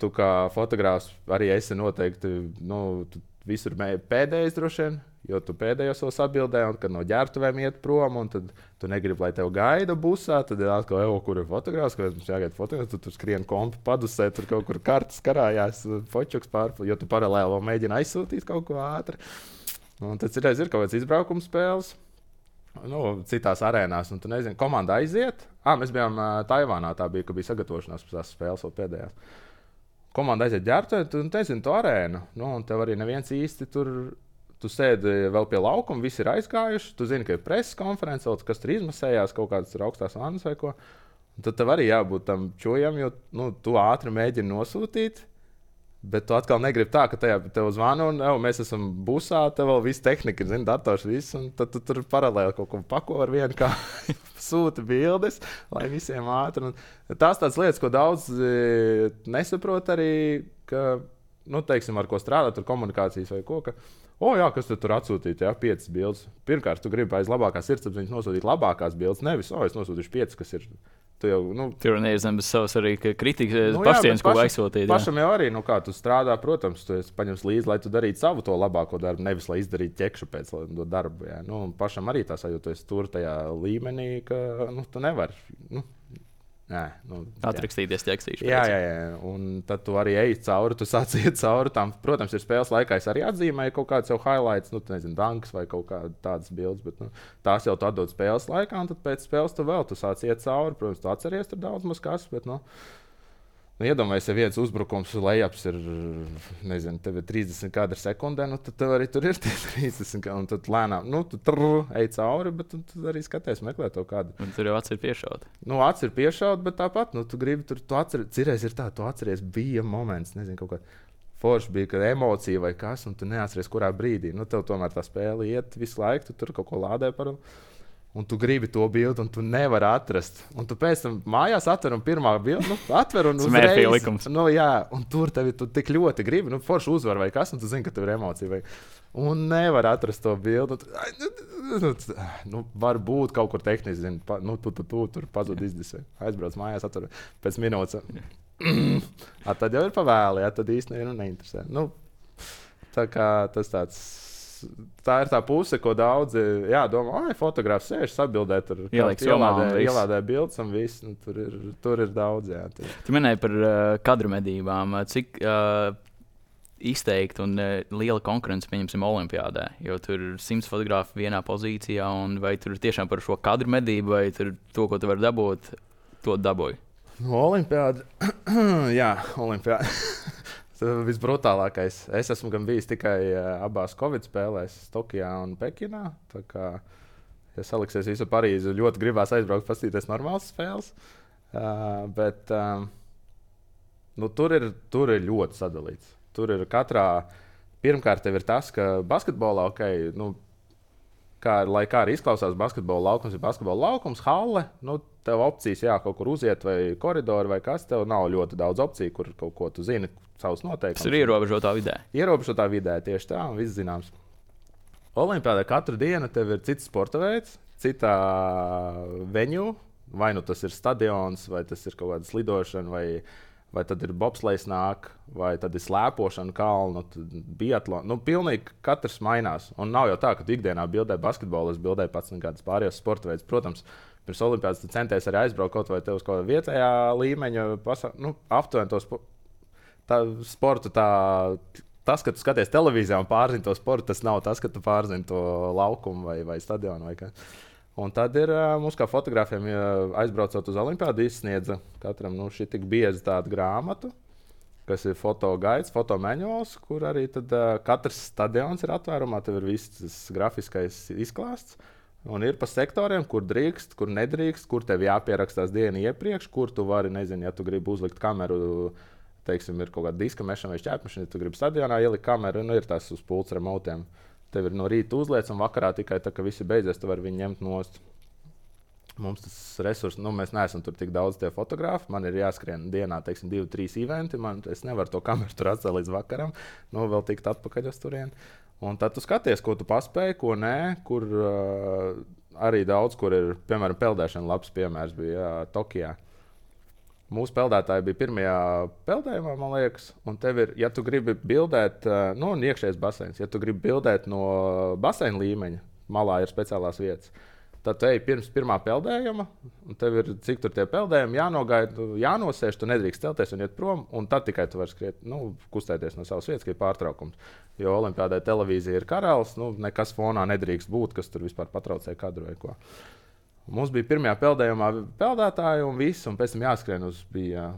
Tu kā fotogrāfs arī esi noteikti, nu, tu visur pēdējais droši vien, jo tu pēdējo savus atbildē, un kad no ģērbtuvēm iet prom, un tad tu negribi, lai tev gaida busā, tad ir atkal, evo, kur ir fotogrāfs, kad mums jāgaida fotogrāfs, tad tu skrien kompi padusē, tur kaut kur kartas karājās, fočuks pārpil, jo tu paralēli vēl mēģini aizsūtīt kaut ko ātri. Un tad citreiz ir kaut kāds izbraukums spēles, nu, citās arēnās, un tu nezini, komanda aiziet. Ā, mēs bijām uh, Taivānā, tā bija, ka bija sagatavošanās pēc tās spēles vēl pēdējās. Komanda aiziet ģērbtuvē, tu nezini to arēnu, nu, un tev arī neviens īsti tur, tu sēdi vēl pie laukuma, visi ir aizgājuši, tu zini, ka ir preses konference, kas tur izmasējās, kaut kādas tur augstās vannas vai ko, un tad tev arī jābūt tam čojam, jo, nu, tu ātri mēģini nosūtīt, bet tu atkal negribi tā, ka tajā tev zvanu, un jau, mēs esam busā, tev vēl viss tehnika, zini, dators, viss, un tad tu tur paralēli kaut ko pako ar vienu, kā sūta bildes, lai visiem ātri. Un tās tādas lietas, ko daudz e, nesaprot arī, ka, nu, teiksim, ar ko strādāt, tur komunikācijas vai ko, ka, o, jā, kas tu tur atsūtīt, jā, piecas bildes. Pirmkārt, tu gribi aiz labākās sirdsapziņas nosūtīt labākās bildes, nevis, o, es nosūtīšu piecas, kas ir. Jau, nu, tur ir zem bez savas arī kritikas, nu, pašcieņas, ko aizsūtīt. Pašam jau arī, nu kā tu strādā, protams, tu paņems līdzi, lai tu darītu savu to labāko darbu, nevis lai izdarītu ķekšu pēc to darbu. Jā. Nu, pašam arī tā sajūta, tu esi tur tajā līmenī, ka nu, tu nevari. Nu, Nē, nu, atrakstīties tekstīšu. Jā, jā, jā. Un tad tu arī ej cauri, tu sāc iet cauri tām. Protams, ir spēles laikā, es arī atzīmēju kaut kāds jau highlights, nu, nezinu, danks vai kaut kādas bildes, bet nu, tās jau tu atdod spēles laikā, un tad pēc spēles tu vēl tu sāc iet cauri. Protams, tu atceries tur daudz maz kas, bet, nu, nu iedomājies, ja viens uzbrukums lejaps ir, nezinu, tev ir trīsdesmit kadri sekundē, nu, tad tev arī tur ir tie trīsdesmit, un tad lēnām, nu, tu trrr, ej cauri, bet tu, tu arī skaties, meklē to kādu. Un tur jau acis ir piešaut. Nu, acis ir piešaut, bet tāpat, nu, tu gribi tur, tu atceries, cirreiz ir tā, tu atceries, bija moments, nezinu, kaut kā forši bija, kad emocija vai kas, un tu neatceries, kurā brīdī. Nu, tev tomēr tā spēle iet visu laiku, tu tur kaut ko lādē par. Un tu gribi to bildi, un tu nevari atrast. Un tu pēc tam mājās atver un pirmā bildi, nu, atver un uzreiz. Nu, jā, un tur tevi tu tik ļoti gribi, nu, forši uzvar vai kas, un tu zini, ka tev ir emocija. Vai... Un nevar atrast to bildi. Nu, nu, var būt kaut kur tehniski, zini, pa, nu, tu, tu, tu tur pazud izdisē. Aizbrauc mājās, atver pēc minūtes. A, tad jau ir pavēli, ja, tad īsti nevienu neinteresē. Nu, tā kā tas tāds tā ir tā puse, ko daudzi jā, domā, ai, fotogrāfs sēž, sabildē, tur ielādē, ielādē bildes un viss. Nu, tur, ir, tur ir daudz. Jā, tur. Tu minēji par uh, kadru medībām. Cik uh, izteikti un uh, liela konkurence, pieņemsim, olimpiādē? Jo tur ir simts fotografi vienā pozīcijā, un vai tur tiešām par šo kadru medību, vai tur to, ko tu vari dabūt, to dabūji? No olimpiāda, jā, olimpiāda. Visbrutālākais. Es esmu gan bijis tikai uh, abās Covid spēlēs, Tokijā un Pekinā. Tā kā, ja saliksies visu Parīzi, ļoti gribās aizbraukt, paskatīties normālas spēles. Uh, bet um, nu, tur, ir, tur ir ļoti sadalīts. Tur ir katrā, pirmkārt, tev ir tas, ka basketbolā, ok, nu, kā, lai kā arī izklausās, basketbola laukums ir basketbola laukums, halle. Nu, tev opcijas, jā, kaut kur uziet, vai koridoru, vai kas. Tev nav ļoti daudz opciju, kur kaut ko tu zini, savus noteikumus. Tas ir ierobežotā vidē. Ierobežotā vidē, tieši tā, un viss zināms. Olimpiādē katru dienu tev ir cits sporta veids, citā venue. Vai nu tas ir stadions, vai tas ir kaut kāda slidošana, vai, vai tad ir bobslejs nāk, vai tad ir slēpošana, kalnu, biatlons. Nu, pilnīgi katrs mainās. Un nav jau tā, ka tu ikdienā bildē basketbolu, es bildēju pats kādas pārējās sporta veids. Protams, pirms olimpiādas tu centies arī aizbraukt kaut vai tev uz kaut kāda vietējā līmeņa, pasa, nu, aptuveni to spo tā, sportu. Tā, tas, ka tu skaties televīzijā un pārzini to sportu, tas nav tas, ka tu pārzini to laukumu vai, vai stadionu. Vai kā. Un tad ir mums, kā fotogrāfiem, aizbraucot uz olimpiādu, izsniedza katram nu, šī tik bieza tāda grāmatu, kas ir fotogaids, fotomanuāls, kur arī tad, uh, katrs stadions ir atvērumā, tev ir viss grafiskais izklāsts. Un ir pa sektoriem, kur drīkst, kur nedrīkst, kur tev jāpierakstās dienu iepriekš, kur tu vari, nezinu, ja tu gribi uzlikt kameru, teiksim, ir kaut kāda diska mešana vai šķērpmešana, ja tu gribi stadionā ielikt kameru, nu ir tas uz pults remotiem. Tev ir no rīta uzliec un vakarā tikai tā, ka visi beidzies, tu vari viņu ņemt nost. Mums tas resurs, nu mēs neesam tur tik daudz tie fotografi, man ir jāskrien dienā, teiksim, divi, trīs eventi, man, es nevaru to kameru tur atstāt līdz vakaram, nu vēl tikt atpakaļ uz turieni. Un tad tu skaties, ko tu paspēji, ko nē, kur uh, arī daudz, kur ir, piemēram, peldēšana, labs piemērs bija jā, Tokijā. Mūsu peldētāji bija pirmajā peldējumā, man liekas, un tev ir, ja tu gribi bildēt, uh, nu, un iekšējais baseins, ja tu gribi bildēt no baseina līmeņa, malā ir speciālās vietas, tad tu ej pirms pirmā peldējuma, un tev ir, cik tur tie peldējumi jānogaida, jānosēž, tu nedrīkst celties un iet prom, un tad tikai tu vari skriet, nu, kustēties no savas vietas, ka ir pārtraukums. Jo olimpiādē televīzija ir karalis, nu, nekas fonā nedrīkst būt, kas tur vispār patraucē kadru vai ko. Mums bija pirmajā peldējumā peldētāji un viss, un pēc tam jāskrien uz, bija,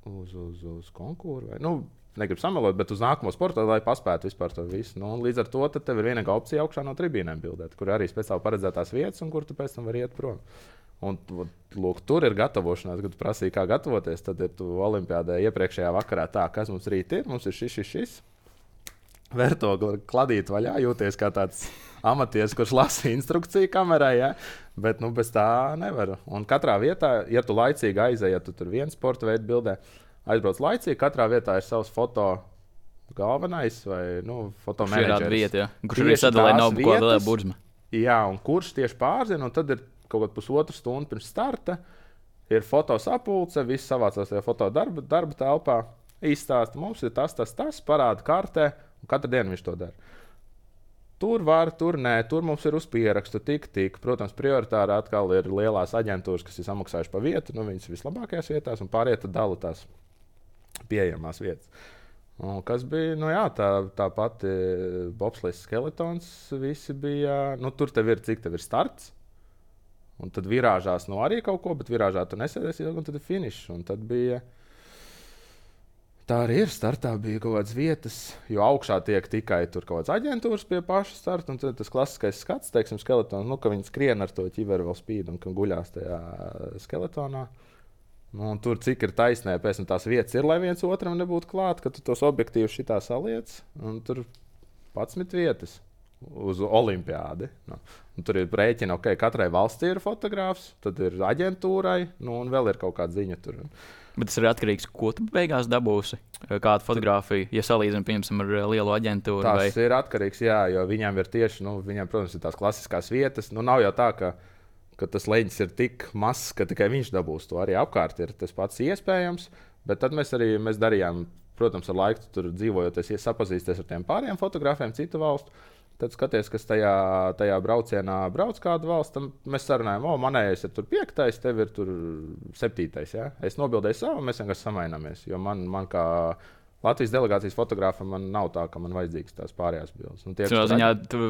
uz, uz, uz konkūru. Vai, nu, negribu samelot, bet uz nākamo sportu, lai paspētu vispār to visu. Nu, līdz ar to tev ir vienīgā opcija augšā no tribīnēm bildēt, kur arī speciāli paredzētās vietas, un kur tu pēc tam vari iet prom. Un, lūk, tur ir gatavošanās, kad tu prasīji, kā gatavoties. Tad ir tu olimpiādē iepriekšējā vakarā tā, kas mums rīt ir. Mums ir šis, šis, šis. Vērtogli kladīt vaļā, jūties kā tāds amatieris, kurš lasa instrukciju kamerai, ja? Bet nu, bez tā nevar. Un katrā vietā, ja tu laicīgi aizēji, ja tu tur viens sporta veidu bildē, aizbrauc laicīgi, katrā vietā ir savs foto galvenais vai nu, fotomenedžeris. Vieta, ja? Kurš arī sadalē nav ko vēl burzma. Jā, un kurš tieši pārzina, un tad ir kaut kāda pusotru stundu pirms starta, ir fotosapulce, viss savācās tajā fotodarba darba telpā, izstāsta, mums ir tas, tas, tas, parāda kartē, un katru dienu viņš to dara. Tur var, tur nē, tur mums ir uz pierakstu, tik, tik. Protams, prioritāri atkal ir lielās aģentūras, kas ir samaksājuši pa vietu, nu viņas vislabākajās vietās, un pārējie tad dala tās pieejamās vietas. Un kas bija, nu jā, tā, tā pati bobslejs skeletons, visi bija, nu tur tev ir, cik tev ir starts, un tad virāžās, nu arī kaut ko, bet virāžā tu nesēdies, un tad ir finišs, un tad bija... Tā arī ir. Startā bija kaut kādas vietas, jo augšā tiek tikai tur kaut kādas aģentūras pie paša starta. Un tas klasiskais skats, teiksim, skeletons, nu, ka viņi skrien ar to ķiveru vēl spīd un ka guļās tajā skeletonā. Nu, un tur cik ir taisnē, pēc tam tās vietas ir, lai viens otram nebūtu klāt, ka tu tos objektīvus šitā saliec. Un tur padsmit vietas uz olimpiādi. Nu, tur ir rēķina, ok, katrai valstī ir fotogrāfs, tad ir aģentūrai, nu, un vēl ir kaut kāda ziņa tur. Bet tas ir atkarīgs, ko tu beigās dabūsi, kādu fotografiju, ja salīdzinām, piemēram, ar lielu aģentūru. Tas vai... ir atkarīgs, jā, jo viņiem ir tieši, nu, viņiem, protams, ir tās klasiskās vietas. Nu, nav jau tā, ka, ka tas leņķis ir tik mazs, ka tikai viņš dabūs to. Arī apkārt ir tas pats iespējams, bet tad mēs arī mēs darījām, protams, ar laiku tur dzīvojoties, sapazīsties ar tiem pāriem fotografiem citu valstu. tad skaties, kas tajā, tajā braucienā brauc kādu valsts, tam mēs sarunājam, o, manējais ir tur piektais, tev ir tur septītais, ja? Es nobildēju savu, mēs vienkārši samaināmies, jo man, man kā Latvijas delegācijas fotogrāfam man nav tā, ka man vajadzīgs tās pārējās bildes. Nu, tie, Cino ziņā, tu,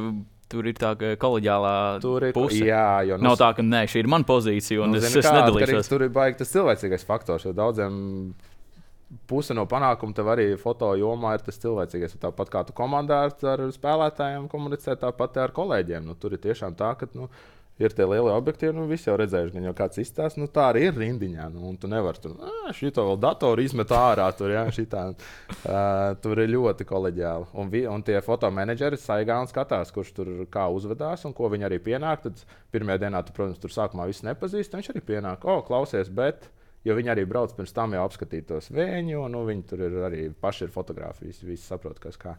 tur ir tā koleģiālā tur ir, puse. Jā, jo, nu, nav tā, ka nē, šī ir mana pozīcija un nu, es, zini, es kā, nedalīšos. Tur ir baigi tas cilvēcīgais faktors, jo daudziem puse no panākuma tev arī foto jomā ir tas cilvēcīgais. Tāpat kā tu komandā ar, ar spēlētājiem komunicē, tāpat ar kolēģiem. Nu, tur ir tiešām tā, ka nu, ir tie lielie objektīvi, nu visi jau redzējuši, gan jau kāds izstāsta, nu tā arī ir rindiņā. Nu, un tu nevari tur, šito vēl datoru izmet ārā, tur, jā, šitā. Uh, tur ir ļoti koleģiāli. Un, vi, un tie fotomenedžeri saigā un skatās, kurš tur kā uzvedās un ko viņi arī pienāk. Tad pirmajā dienā tu, protams, tur sākumā visu nepazīst, viņš arī pienāk, o, klausies, bet... Jo viņi arī brauc pirms tam jau apskatīt tos vēņu, un nu, viņi tur ir arī paši ir fotogrāfijas, visi saprot, kas kā.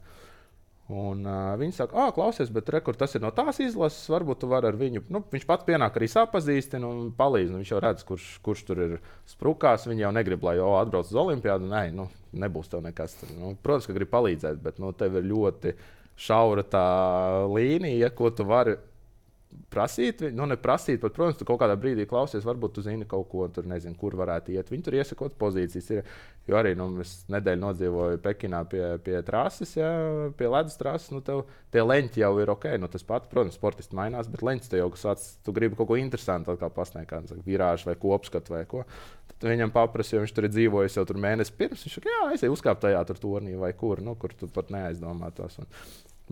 Un uh, viņi saka, ah, klausies, bet re, kur tas ir no tās izlases, varbūt tu vari ar viņu, nu, viņš pats pienāk arī sapazīstina un palīdz, nu, viņš jau redz, kurš, kurš tur ir sprukās, viņi jau negrib, lai jau atbrauc uz olimpiādu, nē, nu, nebūs tev nekas. Tur, nu, protams, ka grib palīdzēt, bet nu, tev ir ļoti šaura tā līnija, ko tu vari prasīt, nu neprasīt, bet, protams, tu kaut kādā brīdī klausies, varbūt tu zini kaut ko, tur nezinu, kur varētu iet. Viņi tur iesakot pozīcijas. Ir, jo arī, nu, es nedēļu nodzīvoju Pekinā pie, pie trases, ja, pie ledus trases, nu, tev tie leņķi jau ir ok, nu, tas pats, protams, sportisti mainās, bet leņķis te jau, kas sāc, tu gribi kaut ko interesantu atkal pasniegt, kā virāžu vai kopskatu vai ko. Tad viņam paprasa, jo viņš tur ir dzīvojis jau tur mēnesi pirms, viņš saka, jā, aizēj uzkāpt tajā tur turnī vai kur, nu, kur tu pat neaizdomātos. Un,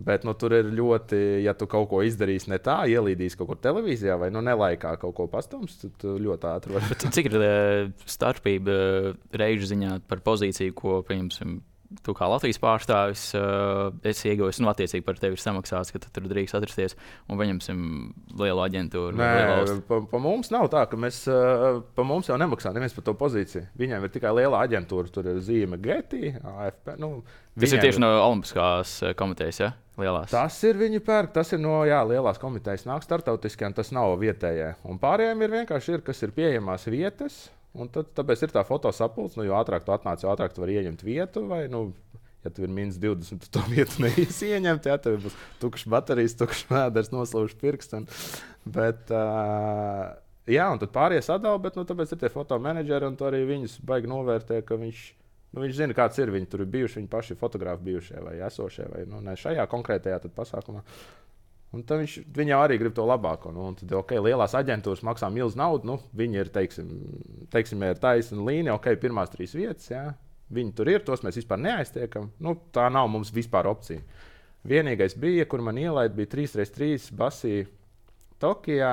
bet nu, tur ir ļoti, ja tu kaut ko izdarīsi ne tā, ielīdīsi kaut kur televīzijā vai nu, nelaikā kaut ko pastums, tad ļoti ātri var. Cik ir starpība reižu ziņā par pozīciju, ko, pieņemsim, tu kā Latvijas pārstāvis uh, esi ieguvis, nu, attiecīgi par tevi ir samaksāts, ka tu tur drīkst atrasties un paņemsim lielu aģentūru? Nē, pa, pa mums nav tā, ka mēs, uh, pa mums jau nemaksā neviens par to pozīciju. Viņiem ir tikai liela aģentūra, tur ir zīme Getty, A F P. Nu, tas ir tieši ir... no Olimpiskās komitejas, ja? Lielās. Tas ir viņi pērk, tas ir no jā, lielās komitejas, nāk startautiskie, un tas nav vietējie. Un pārējiem ir vienkārši ir, kas ir pieejamās vietas. Un tad, tāpēc ir tā fotosapulce, nu, jo ātrāk tu atnāc, jo ātrāk tu vari ieņemt vietu, vai, nu, ja tu ir mīnus divdesmit, tu to vietu neies ieņemt, ja tev būs tukšs baterijas, tukšs mēders, noslaužs pirksts. Bet, uh, jā, un tad pārējie sadala, bet, nu, tāpēc ir tie fotomenedžeri, un tu arī viņus baigi novērtē, ka viņš, nu, viņš zina, kāds ir, viņi tur ir bijuši, viņi paši fotografi bijušie vai esošie, vai, nu, ne šajā konkrētajā tad pasākumā. Un tad viņš, viņi jau arī grib to labāko. Nu, un tad, ok, lielās aģentūras maksā milzu naudu. Nu, viņi ir, teiksim, teiksim ir taisna līnija, ok, pirmās trīs vietas. Jā. Viņi tur ir, tos mēs vispār neaiztiekam. Nu, tā nav mums vispār opcija. Vienīgais bija, kur man ielaid, bija trīs pret trīs basī Tokijā.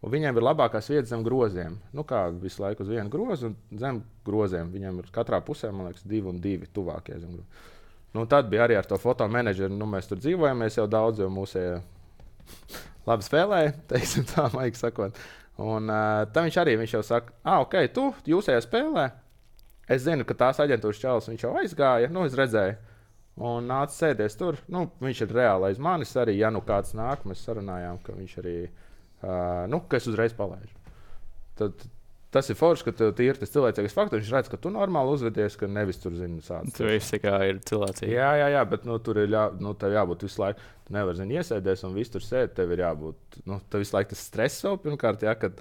Un viņiem ir labākās vietas zem groziem. Nu, kā visu laiku uz vienu grozu un zem groziem. Viņiem ir katrā pusē, man liekas, divi un divi tuvākie zem groziem. Nu, tad bija arī ar to fotomenedžeru. Nu, mēs tur dzīvojamies jau daudz, jo mūsu labi spēlēja, teiksim tā, maigi sakot. Un uh, tam viņš arī, viņš jau saka, ah, ok, tu, jūsējā spēlē, es zinu, ka tās aģentūras čalis, viņš jau aizgāja, nu, es redzēju, un nāca sēdies tur, nu, viņš ir reāli aiz manis arī, ja nu kāds nāk, mēs sarunājām, ka viņš arī, uh, nu, ka es uzreiz palaižu. Tad tas ir forši, ka tev ir tas cilvēcīgais faktors, viņš redz, ka tu normāli uzvedies, ka nevis tur zini sāds. Tur viss kā ir cilvēcīgi. Jā, jā, jā, bet nu, tur ir jā, nu, tev jābūt visu laiku. Tu nevari, zini, iesēdies un viss tur sēdi, tev ir jābūt, nu, tev visu laiku tas stress vēl pirmkārt, jā, kad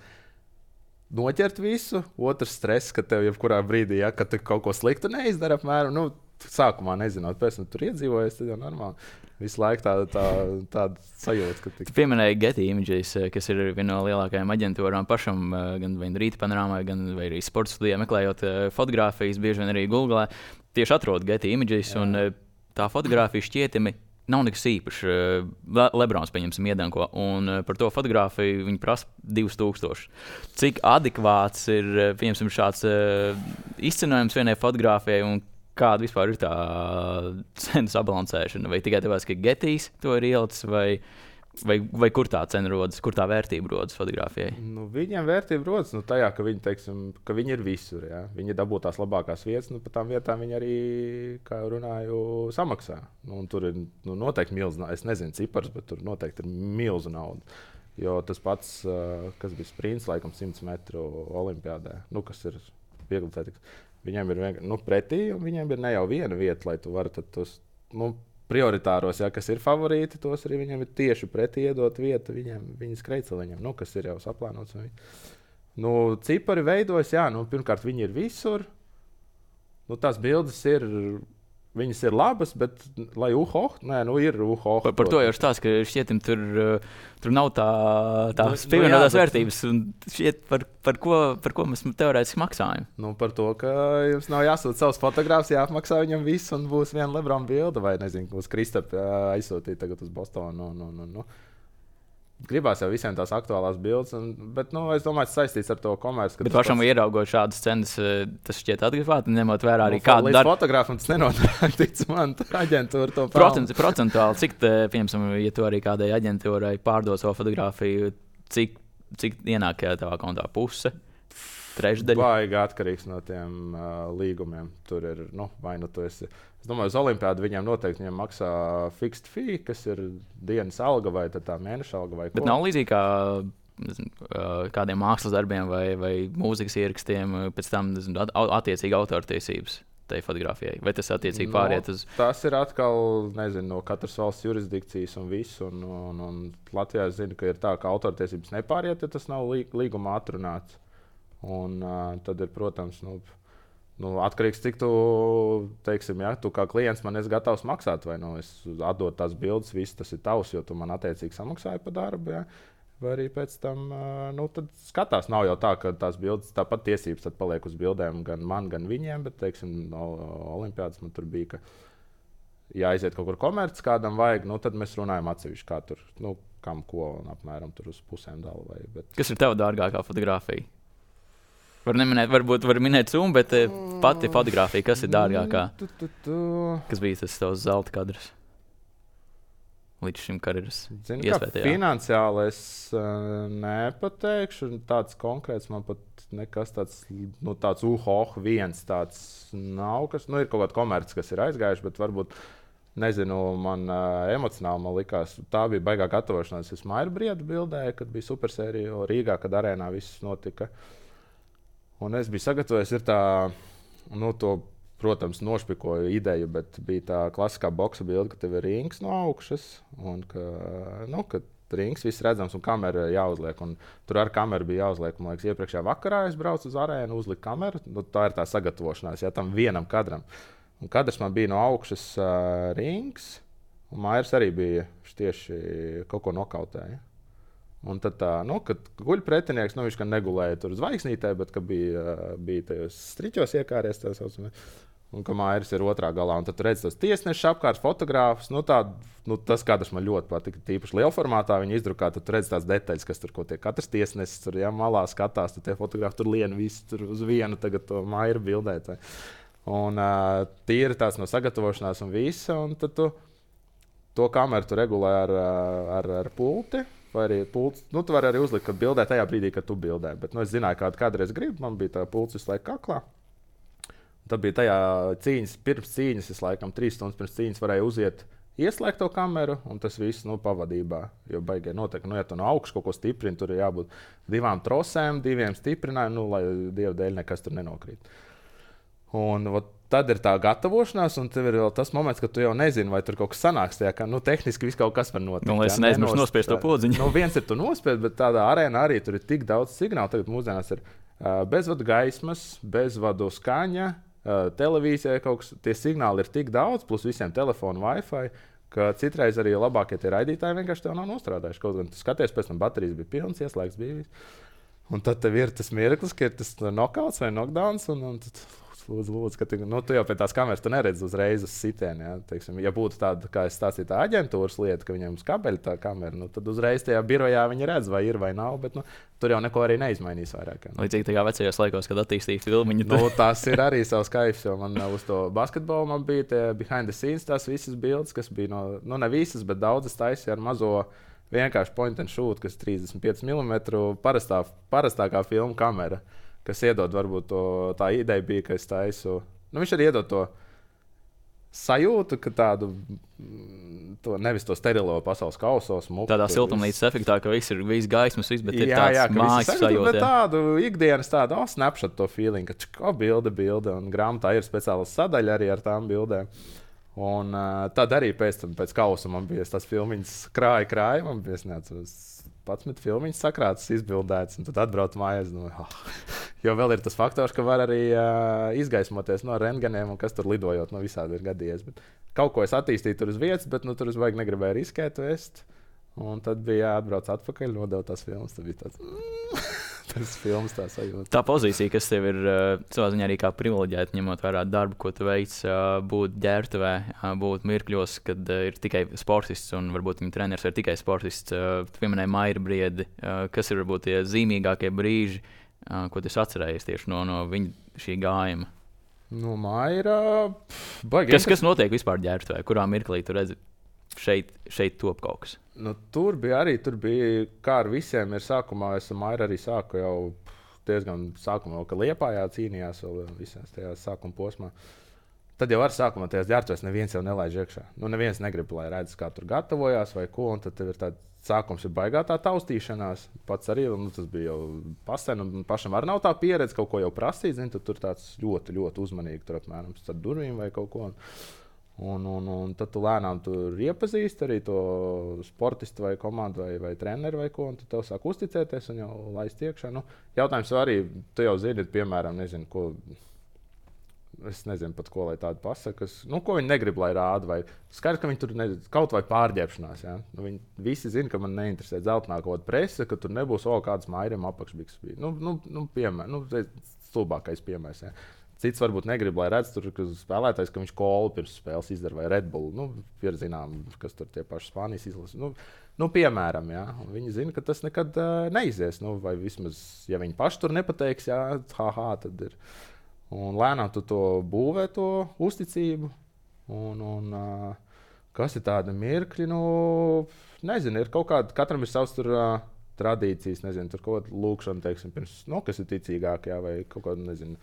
noķert visu, otrs stress, ka tev jebkurā brīdī, jā, kad tu kaut ko sliktu neizdara apmēram, nu, sākumā nezinot, pēc tam tur iedzīvojies, tad jau normāli. Visu laiku tāda tā, tā sajūta, ka tik... Tu pieminēji Getty Images, kas ir viena no lielākajām aģentūrām pašam, gan rīta panorāmā, gan arī sporta studijā, meklējot fotogrāfijas, bieži vien arī Google. Tieši atrod Getty Images, jā. Un tā fotogrāfija šķietami nav nekas īpašs. Le Lebrons, pieņemsim, iedanko, un par to fotogrāfiju viņi prasa divus tūkstošus. Cik adekvāts ir, pieņemsim, šāds izcenojums vienai fotogrāfijai, un kāda vispār ir tā cenu sabalansēšana? Vai tikai tāpēc, ka Gettys to ir ielicis, vai, vai, vai kur tā cena rodas, kur tā vērtība rodas fotogrāfijai? Nu, viņiem vērtība rodas nu, tajā, ka viņi, teiksim, ka viņi ir visur. Ja? Viņi dabū tās labākās vietas, nu, pa tām vietām viņi arī, kā jau runāju, samaksā. Nu, tur ir nu, noteikti milzu nauda. Es nezinu cipars, bet tur noteikti ir milzu nauda. Jo tas pats, kas bija sprints, laikam simts metru olimpiādē, nu, kas ir viegli tētiks. Viņiem ir nu, pretī, un viņiem ir ne jau viena vieta, lai tu varētu tos, nu, prioritāros, ja, kas ir favorīti, tos arī viņam ir tieši pretī iedot vietu viņam, viņas kreiceliņam, nu, kas ir jau saplānots. Nu, cipari veidojas, jā, nu, pirmkārt, viņi ir visur. Nu, tās bildes ir, viņas ir labas, bet, lai uhoh, nē, nu, ir uhoh. Par, par to jau stāst, ka šķietim tur, tur nav tā, tās nu, pievienotās nu, vērtības, un šķiet, par, par, ko, par ko mēs teorētiski maksājam. Nu, par to, ka jums nav jāsūt savus fotogrāfus, jāapmaksā viņam viss, un būs viena Lebron bilde, vai, nezinu, būs Kristapa aizsūtīt tagad uz Bostonu, nu, nu, nu. Gribās jau visiem tās aktuālās bildes, un, bet nu, es domāju, tas saistīts ar to komerci. Bet pašam pats... ieraugot šādas cenas, tas šķiet atgrifāti, ņemot vērā arī nu, kādu darbu. Līdz fotogrāfam tas nenotiek, tic man, aģentūra to Procent, procentuāli, cik, te, piemēram, ja tu arī kādai aģentūrai pārdod savu fotogrāfiju, cik, cik ienāk tavā kontā puse? Trešdaļa? Baigi atkarīgs no tiem uh, līgumiem. Tur ir, nu, vai nu tu esi... Es domāju, uz Olimpiādu viņiem noteikti viņiem maksā fixed fee, kas ir dienas alga vai tā mēneša alga vai ko. Bet nav līdzīgi kā nezinu, kādiem mākslas darbiem vai, vai mūzikas ierakstiem, pēc tam nezinu, attiecīgi autortiesības tai fotografijai. Vai tas attiecīgi no, pāriet uz... Tas ir atkal, nezinu, no katras valsts jurisdikcijas un visu. Un, un, un Latvijā es zinu, ka ir tā, ka autortiesības nepāriet, ja tas nav līgumā atrunāts. Un uh, tad ir, protams, nu, nu, atkarīgs, cik tu, teiksim, ja tu kā klients man esi gatavs maksāt, vai nu es atdodu tās bildes, viss tas ir tavs, jo tu man attiecīgi samaksāji par darbu, ja? Vai arī pēc tam, uh, nu, tad skatās, nav jau tā, ka tās bildes, tāpat tiesības tad paliek uz bildēm gan man, gan viņiem, bet, teiksim, no Olimpiādas man tur bija, ka ja aiziet kaut kur komerci kādam vajag, nu, tad mēs runājam atsevišķi, kā tur, nu, kam ko un apmēram tur uz pusēm dala vai, bet... Kas ir tev dārgākā fotografija? Var neminēt, varbūt var minēt summu, bet pati fotografija, kas ir dārgākā? Kas bija tas tavs zelta kadrs? Līdz šim karjeras iespētajā. Finansiāli es uh, nepateikšu. Tāds konkrēts man pat nekas tāds, nu tāds uhoh viens tāds nav. Kas, nu ir kaut kāda komerci, kas ir aizgājuši, bet varbūt, nezinu, man uh, emocionāli man likās, tā bija baigā gatavošanās. Es Mairu Briedu bildēju, kad bija supersērija Rīgā, kad arēnā viss notika. Un es biju sagatavojis, ir tā, nu, to, protams, nošpikoju ideju, bet bija tā klasiskā boksa bilde, ka tev ir rings no augšas, un ka, nu, ka rings viss redzams un kamera jāuzliek. Un tur ar kameru bija jāuzliek, man liekas, iepriekšējā vakarā es braucu uz arēnu, uzliku kameru, nu, tā ir tā sagatavošanās, ja tam vienam kadram. Un kadrs man bija no augšas uh, rings, un Mairs arī bija tieši kaut ko nokautēja. Un tad, tā, nu, kad guļ pretinieks, nu, viņš gan negulēja tur zvaigznītē, bet bija, bija tajos striķos iekāries, tā saucamē, un ka Mairis ir otrā galā. Un tad redz tos tiesnešus apkārt, fotogrāfus. Nu, tā, nu, tas kadrs man ļoti patika. Tīpaši lielformātā viņi izdrukā, tad tu redz tās detaļas, kas tur ko tiek. Katrs tiesnesis tur ja, malā skatās, tad tie fotografi tur lien visi tur uz vienu tagad to Mairu bildēt. Un uh, tīri tās no sagatavošanās un visa, un tad tu to kameru tu regulē ar, ar, ar pulti. Vai arī pults, nu, tu vari arī uzlikt, kad bildē tajā brīdī, kad tu bildē. Bet, nu, es zināju, kādu kādreiz gribu, man bija tā pults visu laiku kaklā. Tad bija tajā cīņas, pirms cīņas, es laikam trīs stundas pirms cīņas varēju uziet, ieslēgt to kameru, un tas viss, nu, pavadībā. Jo baigai noteikti, nu, ja tu no augšas kaut ko stiprini, tur ir jābūt divām trosēm, diviem stiprinājumiem, nu, lai Dieva dēļ nekas tur nenokrīt. Un ot, tad ir tā gatavošanās, un tev ir vēl tas moments, ka tu jau nezini, vai tur kaut kas sanāks. Tajā, ka, nu, tehniski viss kaut kas var notikt. Nu, lai es neaizmirstu nospiest to podziņu. Nu, viens ir tu nospiest, bet tādā arēnā arī tur ir tik daudz signālu. Tagad mūsdienās ir uh, bezvadu gaismas, bezvadu skaņa, uh, televīzija kaut kas. Tie signāli ir tik daudz, plus visiem telefonu Wi-Fi, ka citreiz arī labākie tie raidītāji vienkārši tev nav nostrādājuši. Kaut gan tu skaties, pēc tam baterijas bija pilns, ieslēgts bija viss. Un tad tev ir tas mirklis, ka ir tas knockouts vai knockdowns, un, un tad... Lūdzu, lūdzu, ka tu, nu, tu jau pie tās kameras neredzi uzreiz uz sitienu. Ja? Teiksim, ja būtu tāda, kā es stāstīju, tā aģentūras lieta, ka viņiem uz kabeļa tā kamera, nu, tad uzreiz tajā birojā viņi redz, vai ir vai nav. Bet nu, tur jau neko arī neizmainīs vairāk. Ja? Līdzīgi tajā vecajos laikos, kad attīstīja filmu. Nu, tas ir arī savs kaifs, jo man uz to basketbolu man bija tie behind the scenes, tās visas bildes, kas bija no, nu ne visas, bet daudzas taisīja ar mazo vienkārši point and shoot, kas trīsdesmit pieci milimetri parastā, parastākā filmu kamera. Kas iedod, varbūt to, tā ideja bija, ka es taisu. Nu, viņš arī iedod to sajūtu, ka tādu, to, nevis to sterilo pasaules kausos. Muku, tādā siltumnīcas efektā, ka viss ir viss gaismas, viss, bet jā, ir tāds jā, mājas sajūta. Bet tādu ikdienas tādu, oh, snapshot to feeling, ka čko bilde, bilde, un grāmatā ir speciāla sadaļa arī ar tām bildēm. Un uh, tad arī pēc tam, pēc kausa man bija tas filmiņas krāja, krāja. Man bija, es neatceros, padsmit filmiņas sakrātas, izbildētas, un tad atbraucu mājās. Nu, oh. Jo vēl ir tas faktors, ka var arī uh, izgaismoties no rentgeniem, un kas tur lidojot, no visādi ir gadījies. Bet kaut ko es attīstīju tur uz vietas, bet nu, tur es vajag negribēju riskēt, vest. Un tad bija jāatbrauc atpakaļ, nodeva tās filmas. Tad bija tāds, mm, tas filmas tā sajūta. Tā pozīcija, kas tev ir uh, savā ziņā arī kā privileģēta, ņemot vērā darbu, ko tu veic, uh, būt ģērbtuvē, uh, būt mirkļos, kad uh, ir tikai sportists un varbūt viņa treneris ir tikai sportists. Uh, tu pieminēji Maira Briedi, uh, kas ir varbūt tie zīmīgākie brīži, uh, ko tu atcerējies tieši no, no viņa šī gājuma? No Maira... Baigi, kas, kas notiek vispār ģērbtuvē? Kurā mirklī tu redzi? Šeit, šeit top kaut kas. Nu, tur bija arī, tur bija, kā ar visiem ir sākumā, es ar Mairu arī sāku jau diezgan sākumā, ka Liepājā cīnījās vēl visās tajās sākuma posmā. Tad jau ar sākumā tajās ģērbtuvēs neviens jau nelaiž iekšā. Nu, neviens negrib, lai redz, kā tur gatavojās vai ko, un tad tev ir tāds sākums ir baigā tā taustīšanās. Pats arī, nu, tas bija jau pasen, un pašam arī nav tā pieredze, kaut ko jau prasīt, zin, tad tur tāds ļoti, ļoti uzmanīgi tur apmēram starp durvīm vai kaut ko. Un, un, un tad tu lēnām tur iepazīsti arī to sportistu vai komandu vai, vai treneru vai ko, un tad tev sāk uzticēties un jau laist iekšā. Nu, jautājums arī, tu jau zini, piemēram, nezinu, ko, es nezinu pat, ko lai tādu pasaka, kas, nu, ko viņi negrib, lai rāda, vai skaidrs, ka viņi tur nezinu, kaut vai pārģērbšanās, ja? Nu, viņi visi zina, ka man neinteresē dzeltenā kaut kāda prese, ka tur nebūs, o, kāds Mairam apakšbiks bija. Nu, nu, nu, piemēr, nu, stulbākais piemērs, ja? Cits varbūt negrib, lai redz, tur, ka spēlētājs, ka viņš kolu pirms spēles izdara vai Red Bull. Nu, ir zinām, kas tur tie paši Spānijas izlasa. Nu, nu, piemēram, jā. Un viņi zina, ka tas nekad uh, neizies. Nu, vai vismaz, ja viņi paši tur nepateiks, jā, haha, tad ir. Un lēnām tu to būvē, to uzticību. Un, un uh, kas ir tāda mirkļi, nu, nezinu, ir kaut kāda, katram ir savs tur uh, tradīcijas, nezinu, tur kaut kāda lūkšana, teiksim, pirms, nu, kas ir ticīgāk, jā, vai kaut kāda, nezinu,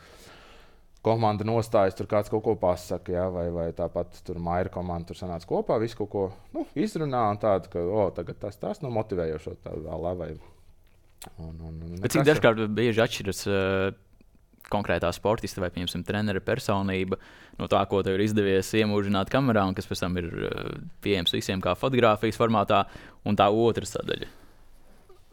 komanda nostājas, tur kāds kaut ko pasaka, ja, vai, vai tāpat tur Maira komanda tur sanāca kopā, visu kaut ko nu, izrunā un tādu, ka, o, tagad tas, tas nu, motivējošo tā vēl vai. Un, un, un bet cik dažkārt bieži atšķiras uh, konkrētā sportista vai, piemēram, trenera personība no tā, ko tev ir izdevies iemūžināt kamerā un kas pēc tam ir uh, pieejams visiem kā fotogrāfijas formātā, un tā otra sadaļa?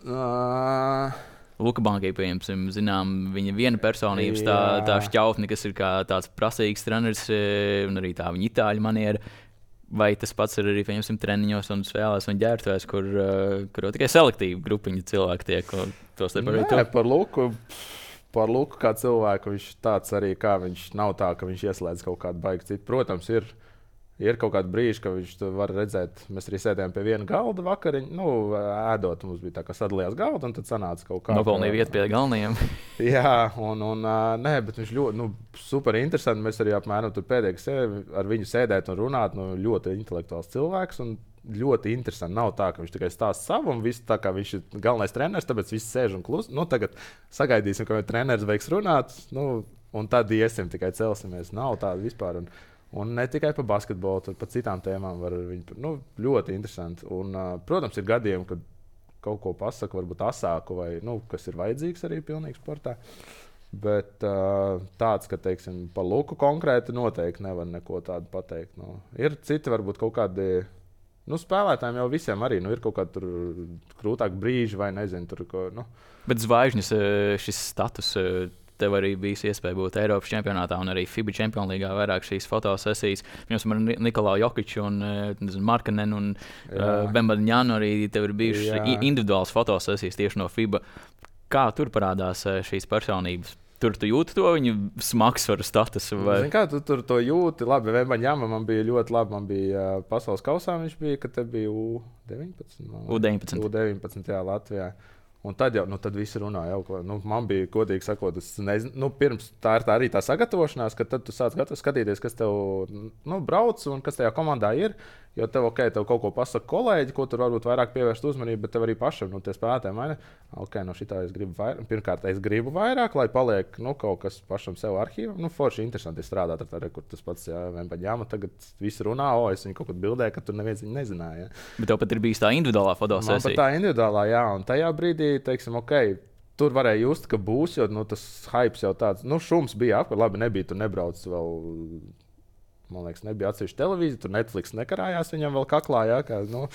Uh... Luka Bankai, piemēram, zinām, viņa viena personības tā, tā šķautne, kas ir kā tāds prasīgs treneris un arī tā viņa itāļu maniera. Vai tas pats ir arī, piemēram, treniņos un spēlēs un ģērbtuvēs, kur, kur tikai selektīvi grupiņa cilvēki tiek, tos te par Nē, par Luku, par Luku kā cilvēku, viņš tāds arī, kā viņš nav tā, ka viņš ieslēdz kaut kādu baigi citu. Protams, ir. Ir kaut kāda brīža, ka viņš var redzēt, mēs arī sēdējām pie viena galda vakariņu, nu, ēdot, mums bija tā, ka sadalījās galda, un tad sanāca kaut kā. Nopelnīja vietu pie galvenajiem. Jā, un, un nē, bet viņš ļoti, nu, super interesanti, mēs arī apmēram tur pēdējā sēdē, ar viņu sēdēt un runāt, nu, ļoti intelektuāls cilvēks, un ļoti interesanti. Nav tā, ka viņš tikai stāsta savu, un viss tā kā viņš ir galvenais treneris, tāpēc viss sēž un klus. Nu, tagad sagaidīsim, ka treneris beigs runāt, nu, un tad iesim, tikai celsimies. Nav tāda vispār. Un, Un ne tikai par basketbolu, bet par citām tēmām var viņu. Nu, ļoti interesanti. Un, uh, protams, ir gadījumi, kad kaut ko pasaka, varbūt asāku, vai nu, kas ir vajadzīgs arī pilnīgi sportā. Bet uh, tāds, ka, teiksim, par Luku konkrēti noteikti nevar neko tādu pateikt. Nu, ir citi, varbūt kaut kādi nu, spēlētājiem jau visiem arī nu, ir kaut kādi krūtāki brīži, vai nezinu, tur ko. Nu. Bet zvaigžņas šis status. Tev arī bija iespēja būt Eiropas čempionātā un arī FIBA čempionu līgā vairāk šīs fotosesijas. Pirms tam ar Nikolaju Jokiču un Markanenu un uh, Bembaņānu arī tev ir bijušas individuālas fotosesijas tieši no FIBA. Kā tur parādās šīs personības? Tur tu jūti to viņu smagsvaru statusu? Vai? Zin kā, tu tur to jūti. Labi, Bembaņāma man bija ļoti labi. Man bija uh, pasaules kausā viņš bija, kad te bija U deviņpadsmit. U deviņpadsmit. U deviņpadsmit, jā, Latvijā. Un tad jau nu, tad visi runāja, jau, nu, man bija godīgi sakot, es nezinu, nu, pirms tā ir tā arī tā sagatavošanās, ka tad tu sāc skatīties, kas tev nu, brauc un kas tajā komandā ir. Jo tev, ok, tev kaut ko pasaka kolēģi, ko tur varbūt vairāk pievērst uzmanību, bet tev arī pašam, nu, tie spēlētāji maina. Ok, no šitā es gribu vairāk. Pirmkārt, es gribu vairāk, lai paliek nu, kaut kas pašam sev arhīvā. Nu, forši interesanti strādāt ar tādu, kur tas pats, jā, Bembaņāma tagad visi runā, o, es viņu kaut kad bildēju, ka tur neviens viņu nezināja. Ja. Bet tev pat ir bijis tā individuālā fotosesija. Man pat tā individuālā, jā, un tajā brīdī, teiksim, ok, tur varēja just, ka būs, jo nu, tas hypes jau tāds, nu, šums bija apkārt, labi, nebija, tu nebrauc vēl man liekas, nebija atsevišķa televīzija, tur Netflix nekarājās viņam vēl kaklā, jā, kā, nu,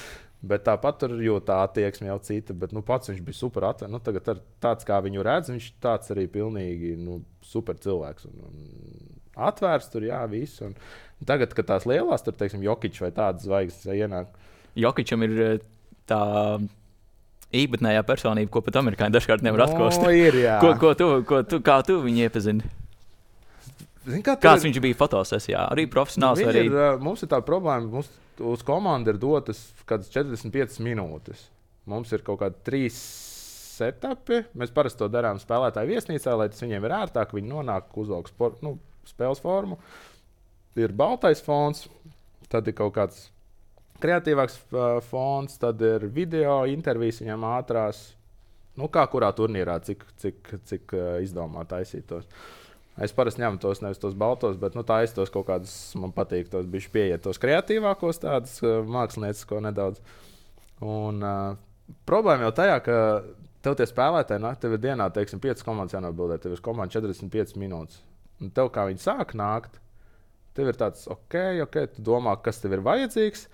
bet tāpat tur jau tā attieksme jau cita, bet nu, pats viņš bija super atvērts. Nu, tagad ar tāds, kā viņu redz, viņš tāds arī pilnīgi nu, super cilvēks. Un, un atvērts tur, jā, viss. Un tagad, kad tās lielās, tur, teiksim, Jokić vai tādas zvaigznes ienāk. Jokićam ir tā īpatnējā personība, ko pat amerikāņi dažkārt nevar atklāt. No, ir, jā. ko, ko tu, ko tu, kā tu viņu iepazini? Zin, kā Kāds ir... viņš bija fotosesijā? Arī profesionāls? Nu, arī... ir, mums ir tā problēma, mums uz komandu ir dotas kādas četrdesmit piecas minūtes. Mums ir kaut kādi trīs setupi. Mēs parasti to darām spēlētāju viesnīcā, lai tas viņiem ir ērtāk. Viņi nonāk, uzvelk sport, nu, spēles formu. Ir baltais fons, tad ir kaut kāds kreatīvāks uh, fons, tad ir video intervijas viņam ātrās. Nu, kā kurā turnīrā, cik, cik, cik uh, izdomā taisītos. Es parasti ņemu tos nevis tos baltos, bet nu, tā es tos kaut kādus, man patīk, tos bišķi pieiet tos kreatīvākos tādus uh, māksliniecisko nedaudz. Un uh, problēma jau tajā, ka tev tie spēlētāji, nāk, tev ir dienā, teiksim, piecas komandas jānobildē, tev ir komanda četrdesmit piecas minūtes. Un tev kā viņi sāk nākt, tev ir tāds, ok, ok, tu domā, kas tev ir vajadzīgs,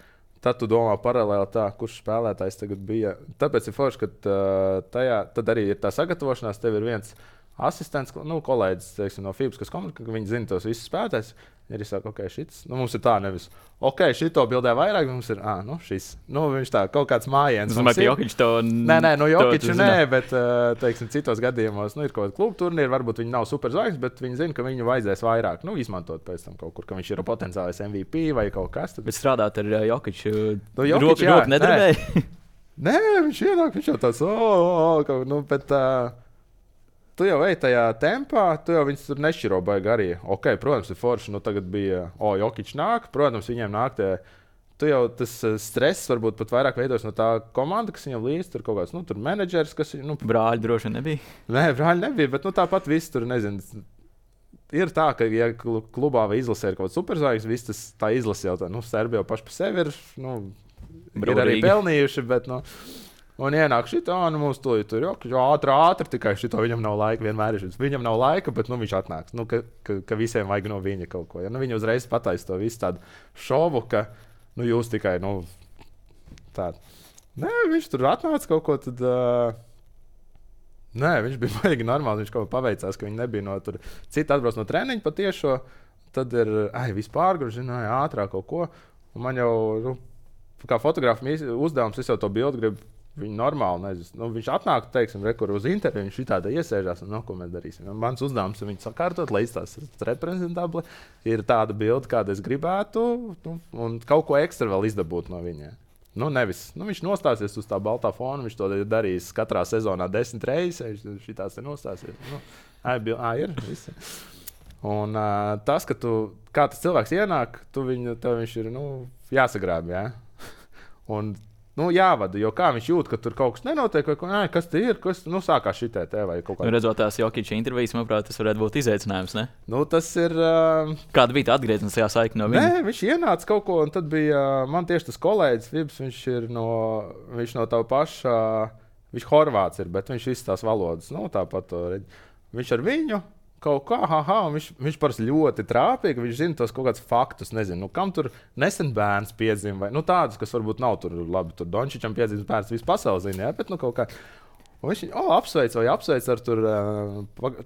tad tu domā paralēli tā, kurš spēlētājs tagad bija. Tāpēc ir forši, ka uh, tajā, tad arī ir tā sagatavošanās, tev ir viens asistents, nu, kolēģis teiksim, no F I B A, kas komunikē, ka viņi zina tos visus spēlētājus. Ja arī saka, ok, šis, nu, mums ir tā nevis, ok, šito bildē vairāk, mums ir, ah, nu, šis. Nu, viņš tā, kaut kāds mājiens. Es domāju, ka Jokić to... Nē, nē, no Jokića nē, bet, teiksim, citos gadījumos, nu, ir kaut kāda klubu turnīra, varbūt viņi nav super zvaigznes, bet viņi zina, ka viņu vajadzēs vairāk, nu, izmantot pēc tam kaut kur, ka viņš ir potenciālais M V P vai kaut kas. Tad... Bet strādāt ar Jokiću, no Jokić, roku, roku nedarbēja? Nē, viņš ienāk, viņš jau tāds, o, o, o, nu, bet... Uh, Tu jau ej tajā tempā, tu jau viņus tur nešķiro baigi arī. Ok, protams, ir forši, nu tagad bija, o, Jokić nāk, protams, viņiem nāk tie, tu jau tas stress varbūt pat vairāk veidos no tā komanda, kas viņam līdz, tur kaut kāds, nu, tur menedžers, kas, nu... Brāļi droši nebija? Nē, brāļi nebija, bet, nu, tāpat viss tur, nezinu, ir tā, ka, ja klubā vai izlasē ir kaut kāds superzvaigznes, viss tas tā izlase jau tā, nu, Serbija jau paši pa sevi ir, nu, Brūrīgi. Ir arī pelnījuši, bet, nu... Un ienāk šitā, nu mums to ir tur, jo ātri, ātri, tikai šito viņam nav laika, vienmēr ir šis. Viņam nav laika, bet nu, viņš atnāks, nu, ka, ka, ka visiem vajag no viņa kaut ko. Ja? Nu, viņi uzreiz pataisa to visu tādu šovu, ka nu, jūs tikai, nu, tādu. Nē, viņš tur atnāca kaut ko, tad, uh... nē, viņš bija baigi normāli, viņš kaut ko paveicās, ka viņi nebija no tur. Citi atbrauc no treniņa patiešo, tad ir, ai, vispār, zināja, ātrāk kaut ko. Un man jau, nu, kā fotogrāfam uzdevums, es jau to bildu gribu. Viņi normāli nezinu. Nu, viņš atnāk, teiksim, rekur uz interviju, viņš šitādā iesēžās un, nu, ko mēs darīsim. Un mans uzdevums ir viņu sakārtot, lai izstāstas reprezentabli. Ir tāda bilde, kāda es gribētu, nu, un kaut ko ekstra vēl izdabūt no viņa. Nu, nevis, nu, viņš nostāsies uz tā baltā fona, viņš to ir darījis katrā sezonā desmit reizes, viņš šitās te nostāsies. Nu, ā, bil, ā, ir, visi. Un uh, tas, ka tu, kā tas cilvēks ienāk, tu viņu, tev viņš ir, nu, jāsagrāb, jā. Un nu, jāvada, jo kā viņš jūt, ka tur kaut kas nenotiek, vai ko, nē, kas te ir, kas, nu, sākās šitē te vai kaut kā. Nu, redzot tās Jokića intervijas, manuprāt, tas varētu būt izaicinājums, ne? Nu, tas ir... Uh... Kāda bija tā atgriezniskā saikne no viņa? Nē, viņš ienāca kaut ko, un tad bija, man tieši tas kolēģis, Vibs, viņš ir no, viņš no tava paša, viņš horvāts ir, bet viņš visas tās valodas, nu, tāpat to reģi. Viņš ar viņu kaut kā, ha, ha, un viņš, viņš parasti ļoti trāpīgi, viņš zina tos kaut kādus faktus, nezinu, nu, kam tur nesen bērns piedzim, vai, nu, tādus, kas varbūt nav tur, labi, tur Dončičam piedzimis bērns, visu pasauli zina, jā, bet, nu, kaut kā, un viņš, o, apsveic vai apsveic ar tur,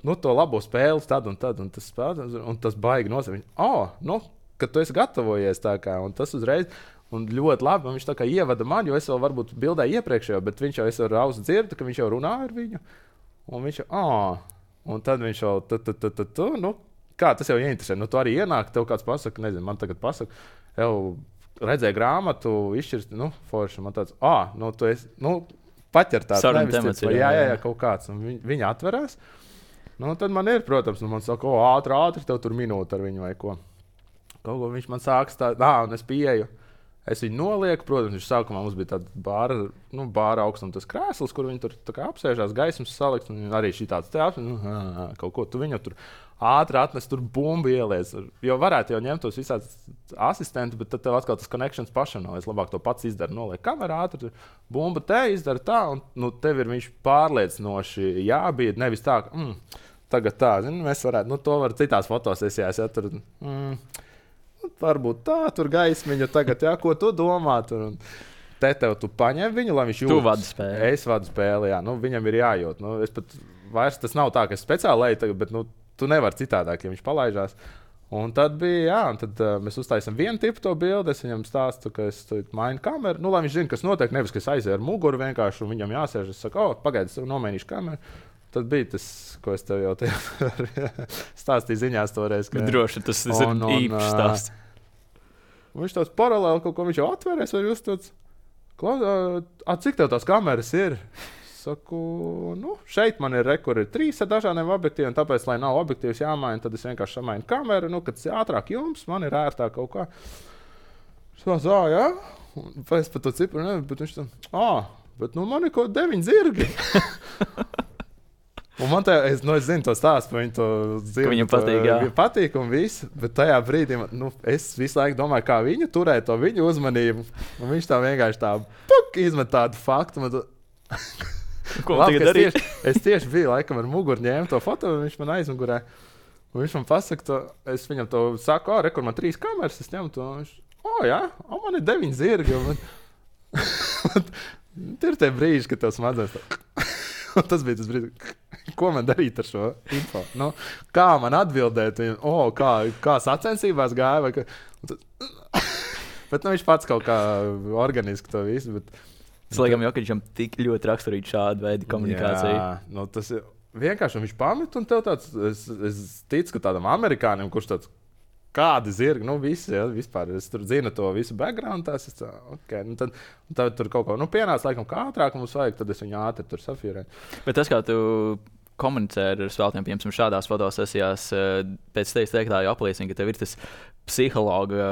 nu, to labo spēles tad un tad, un tas spēles, un tas baigi nosaka, viņš, o, nu, kad tu esi gatavojies tā kā, un tas uzreiz, un ļoti labi, un viņš tā kā ievada man, jo es vēl varbūt bildēju iepriekšējo, bet viņš jau, es ar ausu dzirdu, ka viņš jau runā ar viņu, un viņš jau, o, un tad viņš jau, tu, tu, tu, tu, tu, nu, kā tas jau ieinteresē, nu, tu arī ienāk, tev kāds pasaka, nezinu, man tagad pasaka, jau redzēja grāmatu, izšķirst, nu, forši, man tāds, ā, nu, tu esi, nu, paķer tāds, nevis cits, vai jā, jā, jā, kaut kāds, un viņ, viņa atverās, nu, tad man ir, protams, nu, man saka, o, ātri, ātri, tev tur minūte ar viņu vai ko. Kaut ko viņš man sāks tā, ā, un es pieeju. Es viņu nolieku, protams, viņš sākumā mums bija tāds bāra, nu, bāra augstums tas krēsls, kur viņi tur tā kā apsēžās, gaismas salikt, un arī šī tāds te apsēž, nu, ā, kaut ko, tu viņu tur ātri atnes, tur bumbu ieliec, jo varētu jau ņemt tos visāds asistentus, bet tad tev atkal tas connections pašam nav, es labāk to pats izdaru, noliek kamerā ātri, bumba te izdara tā, un, nu, tev ir viņš pārliecinoši jābied, nevis tā, ka, mm, tagad tā, zini, mēs varētu, nu, to var citās fotosesijās, ja tur, mm, varbūt tā, tur gaismiņa tagad, jā, ko tu domā tur. Un te tev tu paņem viņu, lai viņš jūtas. Tu vadi spēli. Es vadu spēli, jā. Nu, viņam ir jājūt. Nu, es pat vairs tas nav tā, ka es speciāli leju, bet nu, tu nevari citādāk, ja viņš palaižās. Un tad bija, jā, un tad uh, mēs uztaisām vienu tipu to bildi. Es viņam stāstu, ka es mainu kameru. Nu, lai viņš zina, kas notiek, nevis, ka es aizēju ar muguru vienkārši, un viņam jāsēž. Es saku, o, pagaidi, es nomainīšu kameru. Tad bija tas, ko es tev jau te stāstīju ziņās toreiz. Ka... Droši, tas, tas un, ir īpašs stāsts. Uh, viņš tāds paralēli kaut ko viņš jau atvērēs, vai jūs tāds, a, cik tev tās kameras ir? Saku, nu, šeit man ir rekur, ir trīs ar dažādiem objektīviem, tāpēc, lai nav objektīvs jāmaina, tad es vienkārši samainu kameru, nu, kad tas ir ātrāk jums, man ir ērtāk kaut kā. Es tā, jā, es pat to cipru nevienu, bet viņš tā, ā, bet nu man ir kaut deviņi zirgi. Un man tā, es, nu, es zinu to stāstu, viņu to zirgi. Viņam patīk, jā. Patīk un viss, bet tajā brīdī, nu, es visu laiku domāju, kā viņu turēt to viņu uzmanību, un viņš tā vienkārši tā, puk, izmet tādu faktu, man tā... Ko Labi, es, tieši, es tieši biju laikam ar muguru ņēmu to foto, un viņš man aizmugurē. Un viņš man pasaka, to, es viņam to saku, o, rekur man trīs kameras, es ņemu to. Viņš, o, jā, o, man ir deviņi zirgi. Man... ir tie brīži, kad tev smadzenes tā. Un tas bija tas brīdis, ko man darīt ar šo info. Nu, kā man atbildēt, viņam, o, kā, kā sacensībās gāja. Vai kā... bet nu, viņš pats kaut kā organiski to visu. Bet... Tas, laikam, Jokićam tik ļoti raksturīgi šādu veidu komunikāciju. Jā, nu, tas ir vienkārši, viņš pamet, un tev tāds, es, es ticu, ka tādam amerikānim, kurš tāds, kādi zirgi, nu, visi, ja, vispār, es tur zinu to visu background, tās, es tā, ok, nu, tad, tad tur kaut ko, nu, pienāc, laikam, kā ātrāk mums vajag, tad es viņu ātri tur safīrēju. Bet tas, kā tu komunicē ar spēlētājiem, piemēram, šādās fotosesijās, pēc tevis teiktā jau apliecina, ka tev ir tas psihologa,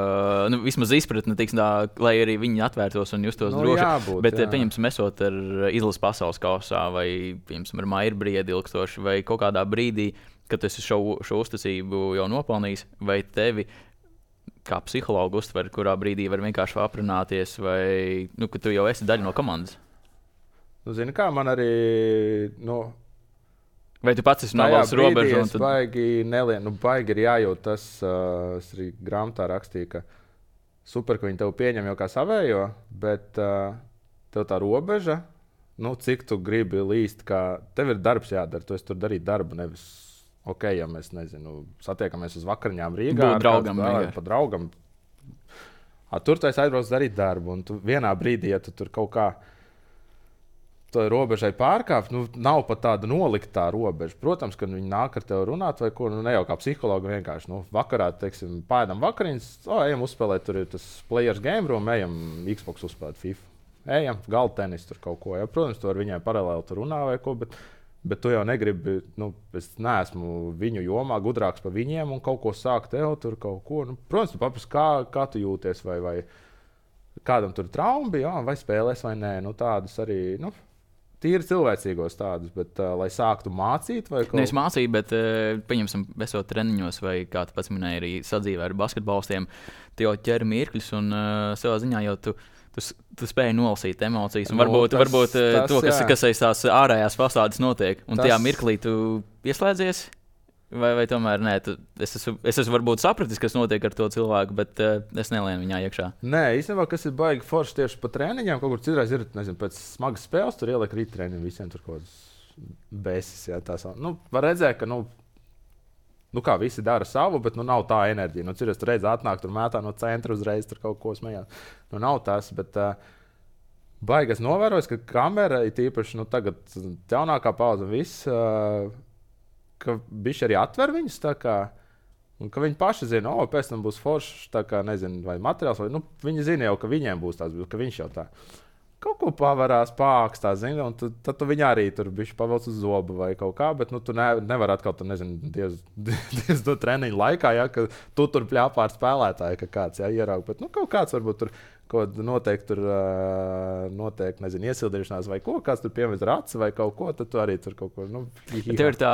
nu, vismaz izpratne, tiksim tā, lai arī viņi atvērtos un justos nu, droši. Jābūt, bet, jā. pieņemsim, esot ar izlases pasaules kausā vai, pieņemsim, ar Mairbriedi ilgstoši vai kaut kādā brīdī, kad tu esi šo, šo uzticību jau nopelnījis, vai tevi kā psihologu uztver, kurā brīdī var vienkārši aprunāties, vai, nu, ka tu jau esi daļa no komandas? Nu, zini kā, man arī, nu, vai tu pats esi novalsts robežu? Es tad... baigi nelien, nu, baigi ir jājūt tas, uh, es arī grāmatā rakstīju, ka super, ka viņi tev pieņem jau kā savējo, bet uh, tev tā robeža, nu, cik tu gribi līst, kā tev ir darbs jādara, tu esi tur darīt darbu, nevis, ok, ja mēs, nezinu, satiekamies uz vakariņām Rīgā. Būt draugam. Kāds, pa draugam. A, tur tu esi aizbraucis darīt darbu, un tu vienā brīdī, ja tu tur kaut kā to robežai pārkāpt, nu, nav pat tāda noliktā robeža. Protams, kad viņi nāk ar tevi runāt vai ko, nu, ne jau kā psihologi vienkārši, nu, vakarā, teiksim, pēdam vakariņas, o, ejam uzspēlēt, tur ir tas players game room, ejam Xbox uzspēlēt FIFA. Ejam, galda tenis tur kaut ko, ja, protams, tu ar viņai paralēli tur runā vai ko, bet, bet tu jau negribi, nu, es neesmu viņu jomā gudrāks par viņiem un kaut ko sākt tev tur kaut ko, nu, protams, tu papras, kā, kā tu jūties vai, vai kādam tur traumi bija, vai spēlēs vai nē, nu, tādas arī, nu, tīri cilvēcīgos tādus, bet, uh, lai sāktu mācīt vai kaut ko. Nevis mācīt, bet, uh, pieņemsim, esot treniņos vai, kā tu pats minēji, arī sadzīvē ar basketbolistiem, tu jau ķer mirkļus un uh, savā ziņā jau tu, tu, tu spēji nolasīt emocijas. Un varbūt, no, tas, varbūt uh, tas, to, kas, kas aiz tās ārējās fasādes notiek. Un tas... tajā mirklī tu ieslēdzies? Vai, vai tomēr nē, tu, es, esmu, es esmu varbūt sapratis, kas notiek ar to cilvēku, bet uh, es nelienu viņā iekšā. Nē, īstenībā, kas ir baigi forši tieši pa treniņiem, kaut kur citreiz ir, nezinu, pēc smagas spēles, tur ieliek rīt treniņu, visiem tur kaut kādas besis, jā, tās. Nu, var redzēt, ka, nu, nu kā visi dara savu, bet, nu, nav tā enerģija. Nu, citreiz tur redz atnāk, tur mētā no centra uzreiz, tur kaut ko smējās. Nu, nav tas, bet uh, baigi es novērojos, ka kamera ir tīpaši, nu, tagad jaunākā pauze viss, uh, ka bišķi arī atver viņus tā kā, un ka viņi paši zina, o, pēc tam būs foršs, tā kā, nezinu, vai materiāls, vai, nu, viņi zina jau, ka viņiem būs tās, ka viņš jau tā kaut ko pavarās, pākstā, zina, un tu, tad tu viņu arī tur bišķi pavelc uz zobu vai kaut kā, bet, nu, tu ne, nevar atkal, tu, nezinu, diez, diez do treniņu laikā, ja, ka tu tur pļāpā ar spēlētāju, ka kāds, ja, ieraug, bet, nu, kaut kāds varbūt tur, kaut noteikti tur, noteikti, nezinu, iesildīšanās vai ko, kāds tur piemērs raci vai kaut ko, tad tu arī tur kaut ko, nu, hihā. Tev ir tā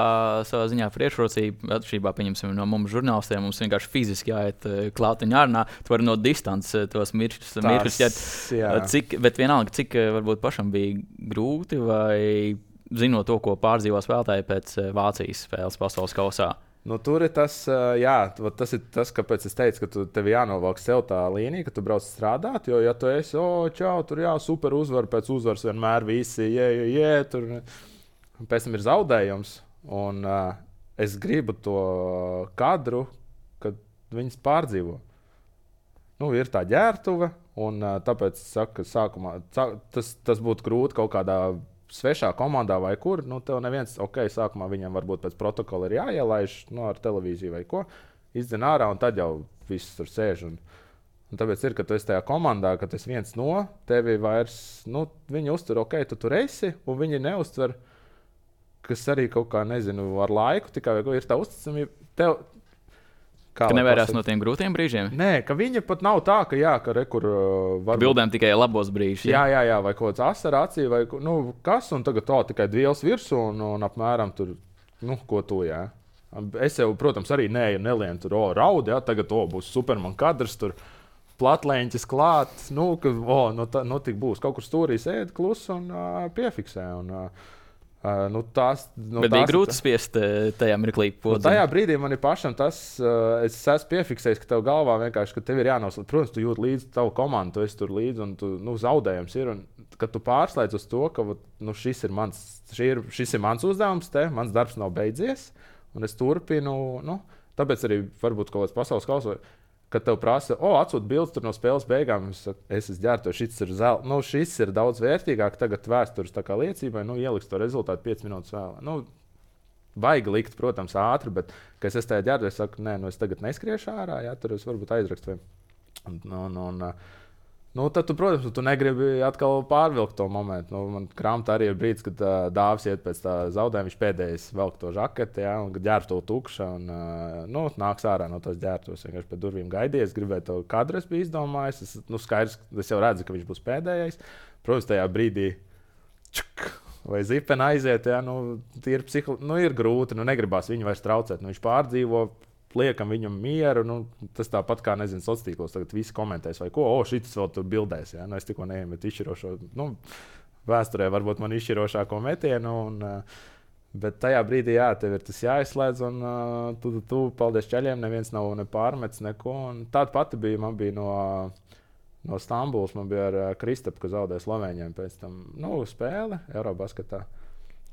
savā ziņā priekšrocība, atšķirībā, pieņemsim, no mums žurnālistiem, mums vienkārši fiziski jāiet klātiņā ārnā, tu vari no distances tos miršus, miršus ķert, cik, bet vienalga, cik varbūt pašam bija grūti vai zinot to, ko pārdzīvo spēlētāji pēc Vācijas spēles pasaules kausā. Nu, tur ir tas, jā, tas ir tas, kāpēc es teicu, ka tu, tev jānovelk sev tā līnija, ka tu brauc strādāt. Jo, ja tu esi, o, oh, čau, tur jā, super uzvar, pēc uzvaras vienmēr visi, jē, jē, jē, tur. Pēc tam ir zaudējums. Un uh, es gribu to kadru, kad viņas pārdzīvo. Nu, ir tā ģērtuve, un uh, tāpēc es saku, ka sākumā tas, tas būtu grūti kaut kādā svešā komandā vai kur, nu, tev neviens, ok, sākumā viņam varbūt pēc protokola ir jāielaiž, nu, ar televīziju vai ko, izdzen ārā, un tad jau viss tur sēž. Un, un tāpēc ir, ka tu esi tajā komandā, ka tas viens no tevi vairs, nu, viņi uztver, ok, tu tur esi, un viņi neuztver, kas arī kaut kā, nezinu, ar laiku, tikai vai ko ir tā uzticamība, tev, Kā ka nevērās no tiem grūtiem brīžiem? Nē, ka viņa pat nav tā, ka jā, ka rekur uh, var... Bildēm tikai labos brīžus. Jā, jā, jā, vai kaut kāds asara acī, vai nu, kas, un tagad tā tikai dviels virsū, un, un apmēram tur, nu, ko tu, jā. Es jau, protams, arī nē, nelienu tur, o, raudi, jā, tagad, o, būs Superman kadrs, tur platlēņķis klāt, nu, ka, o, nu, tā, nu, tik būs, kaut kur stūrī sēd klus un uh, piefiksē, un... Uh, Uh, nu tās, nu, Bet bija grūti spiest uh, tajā mirklī podziņu. Nu, tajā brīdī man ir pašam tas, uh, es esmu piefiksējis, ka tev galvā vienkārši, ka tev ir jānoslēdz. Protams, tu jūt līdzi tavu komandu, tu esi tur līdzi un tu, nu, zaudējums ir. Un, kad tu pārslēdz uz to, ka nu, šis, ir mans, ir, šis ir mans uzdevums, te, mans darbs nav beidzies, un es turpinu. Nu, tāpēc arī varbūt kaut kāds pasaules kausa. Kad tev prasa, o, atsūt bildes no spēles beigām, es saku, es esmu ģērbto, šis ir zel, nu, šis ir daudz vērtīgāk, tagad vēstures tā kā liecībai, nu, ieliks to rezultātu piecas minūtes vēl. Nu, baigi likt, protams, ātri, bet, kad es esmu tajā ģērbto, es saku, nē, nu, es tagad neskriešu ārā, jā, tur es varbūt aizrakstu. Un, un, un, nu, tad, tu, protams, tu negribi atkal pārvilkt to momentu. Nu, man krāmta arī ir brīdis, kad uh, Dāvis iet pēc tā zaudējuma, viņš pēdējais velk to žaketi, jā, un ģērbto tukša, un uh, nu, nāks ārā no tās ģērbtos. Vienkārši pie durvīm gaidījies, gribēju to kadru, es biju izdomājis. Es, nu, skaidrs, es jau redzu, ka viņš būs pēdējais. Protams, tajā brīdī čuk, vai zipena aiziet, jā, nu, ir, psiholo... nu, ir grūti, nu, negribās viņu vairs traucēt. Nu, viņš pārdzīvo. Liekam viņam mieru, nu, tas tāpat kā, nezinu, sociālos tīklos, tagad visi komentēs vai ko, o, šis vēl tur bildēs, jā, nu, es tikko neiemetu izšķirošo, nu, vēsturē varbūt man izšķirošāko metienu, un, bet tajā brīdī, jā, tev ir tas jāizslēdz, un tu, tu, tu paldies ceļiem, neviens nav ne pārmets, neko, un tāda pati bija, man bija no, no Stambulas, man bija ar Kristapu, kas zaudēja Slovēņiem pēc tam, nu, spēle Eurobasketā.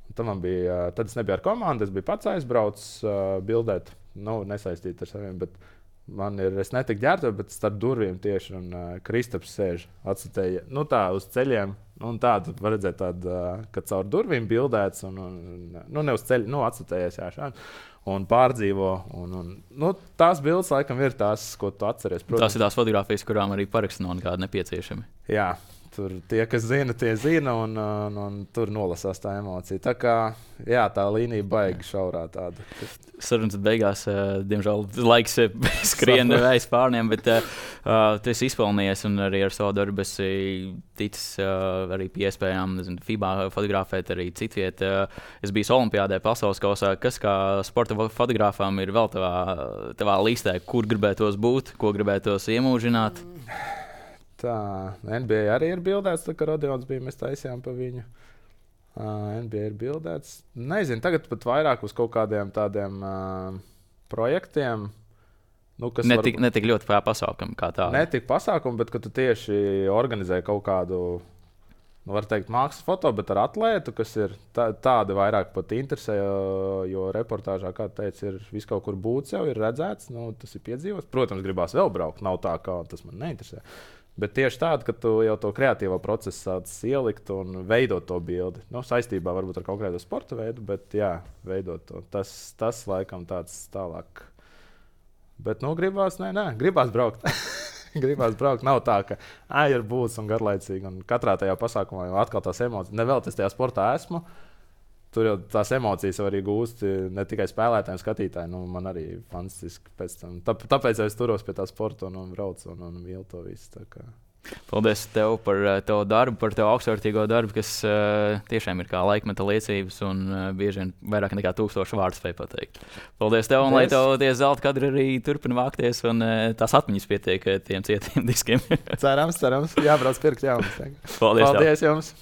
Tad, man bija, tad es nebiju ar komandu, es biju pats aizbraucis uh, bildēt, nu, nesaistīt ar saviem, bet man ir, es netiku ģērbto, bet starp durvīm tieši, un uh, Kristaps sēž, atsatēja, nu tā, uz ceļiem, un tā, tu var redzēt tādu, uh, ka caur durvīm bildēts, un, un nu, ne uz ceļu, nu, atsatējies, jā, šādi, un pārdzīvo, un, un, nu, tās bildes, laikam, ir tās, ko tu atceries. Protams. Tās ir tās fotogrāfijas, kurām arī paraksti nav nekādi nepieciešami. Jā. Tur tie, kas zina, tie zina, un, un, un tur nolasās tā emocija. Tā kā jā, tā līnija baigi šaurā tāda. Sarunas beigās, uh, diemžēl, laiks skrien aiz pārniem, bet uh, tu esi izpelnījies un arī ar savu darbu esi ticis uh, arī pie iespējām, nezinu, FIBA fotografēt arī citviet. Uh, es biju Olimpiādē pasaules kausā. Kas kā sporta fotogrāfām ir vēl tavā, tavā listē, kur gribētos būt, ko gribētos iemūžināt? Tā, N B A arī ir bildēts, tā kā Rodions bija, mēs taisījām pa viņu. Uh, N B A ir bildēts. Nezinu, tagad pat vairāk uz kaut kādiem tādiem uh, projektiem. Nu, kas ne tik, var... ne tik ļoti pasākumu kā tādu. Ne tik pasākumu, bet ka tu tieši organizē kaut kādu, nu, var teikt, mākslas foto, bet ar atlētu, kas ir tā, tādi vairāk pat interesē, jo, jo reportāžā, kā teica, ir viss kaut kur būts jau, ir redzēts, nu, tas ir piedzīvots. Protams, gribās vēl braukt, nav tā, kā tas man neinteresē. Bet tieši tāda, ka tu jau to kreatīvo procesu sāc ielikt un veidot to bildi. Nu, saistībā varbūt ar konkrētu sporta veidu, bet jā, veidot to. Tas, tas laikam tāds tālāk. Bet, nu, gribās, nē, nē, gribās braukt. gribās braukt. Nav tā, ka ā, ir būts un garlaicīgi. Un katrā tajā pasākumā jau atkal tās emocijas. Nevēl es tajā sportā esmu. Tur jau tās emocijas arī gūst ne tikai spēlētājiem, skatītājiem. Nu, man arī fantastiski pēc tam. Tā, tāpēc es turos pie tā sporta un, un braucu un, un mīlu to visu. Paldies tev par uh, tavu darbu, par tavu augstvērtīgo darbu, kas uh, tiešām ir kā laikmeta liecības un uh, bieži vien vairāk nekā tūkstošu vārdu spēj pateikt. Paldies tev, un lai tev tie zelta kadri arī turpina vākties un uh, tās atmiņas pietiek tiem cietiem diskiem. cerams, cerams. Jābrauc pirkt jaunas. Paldies, Paldies jums!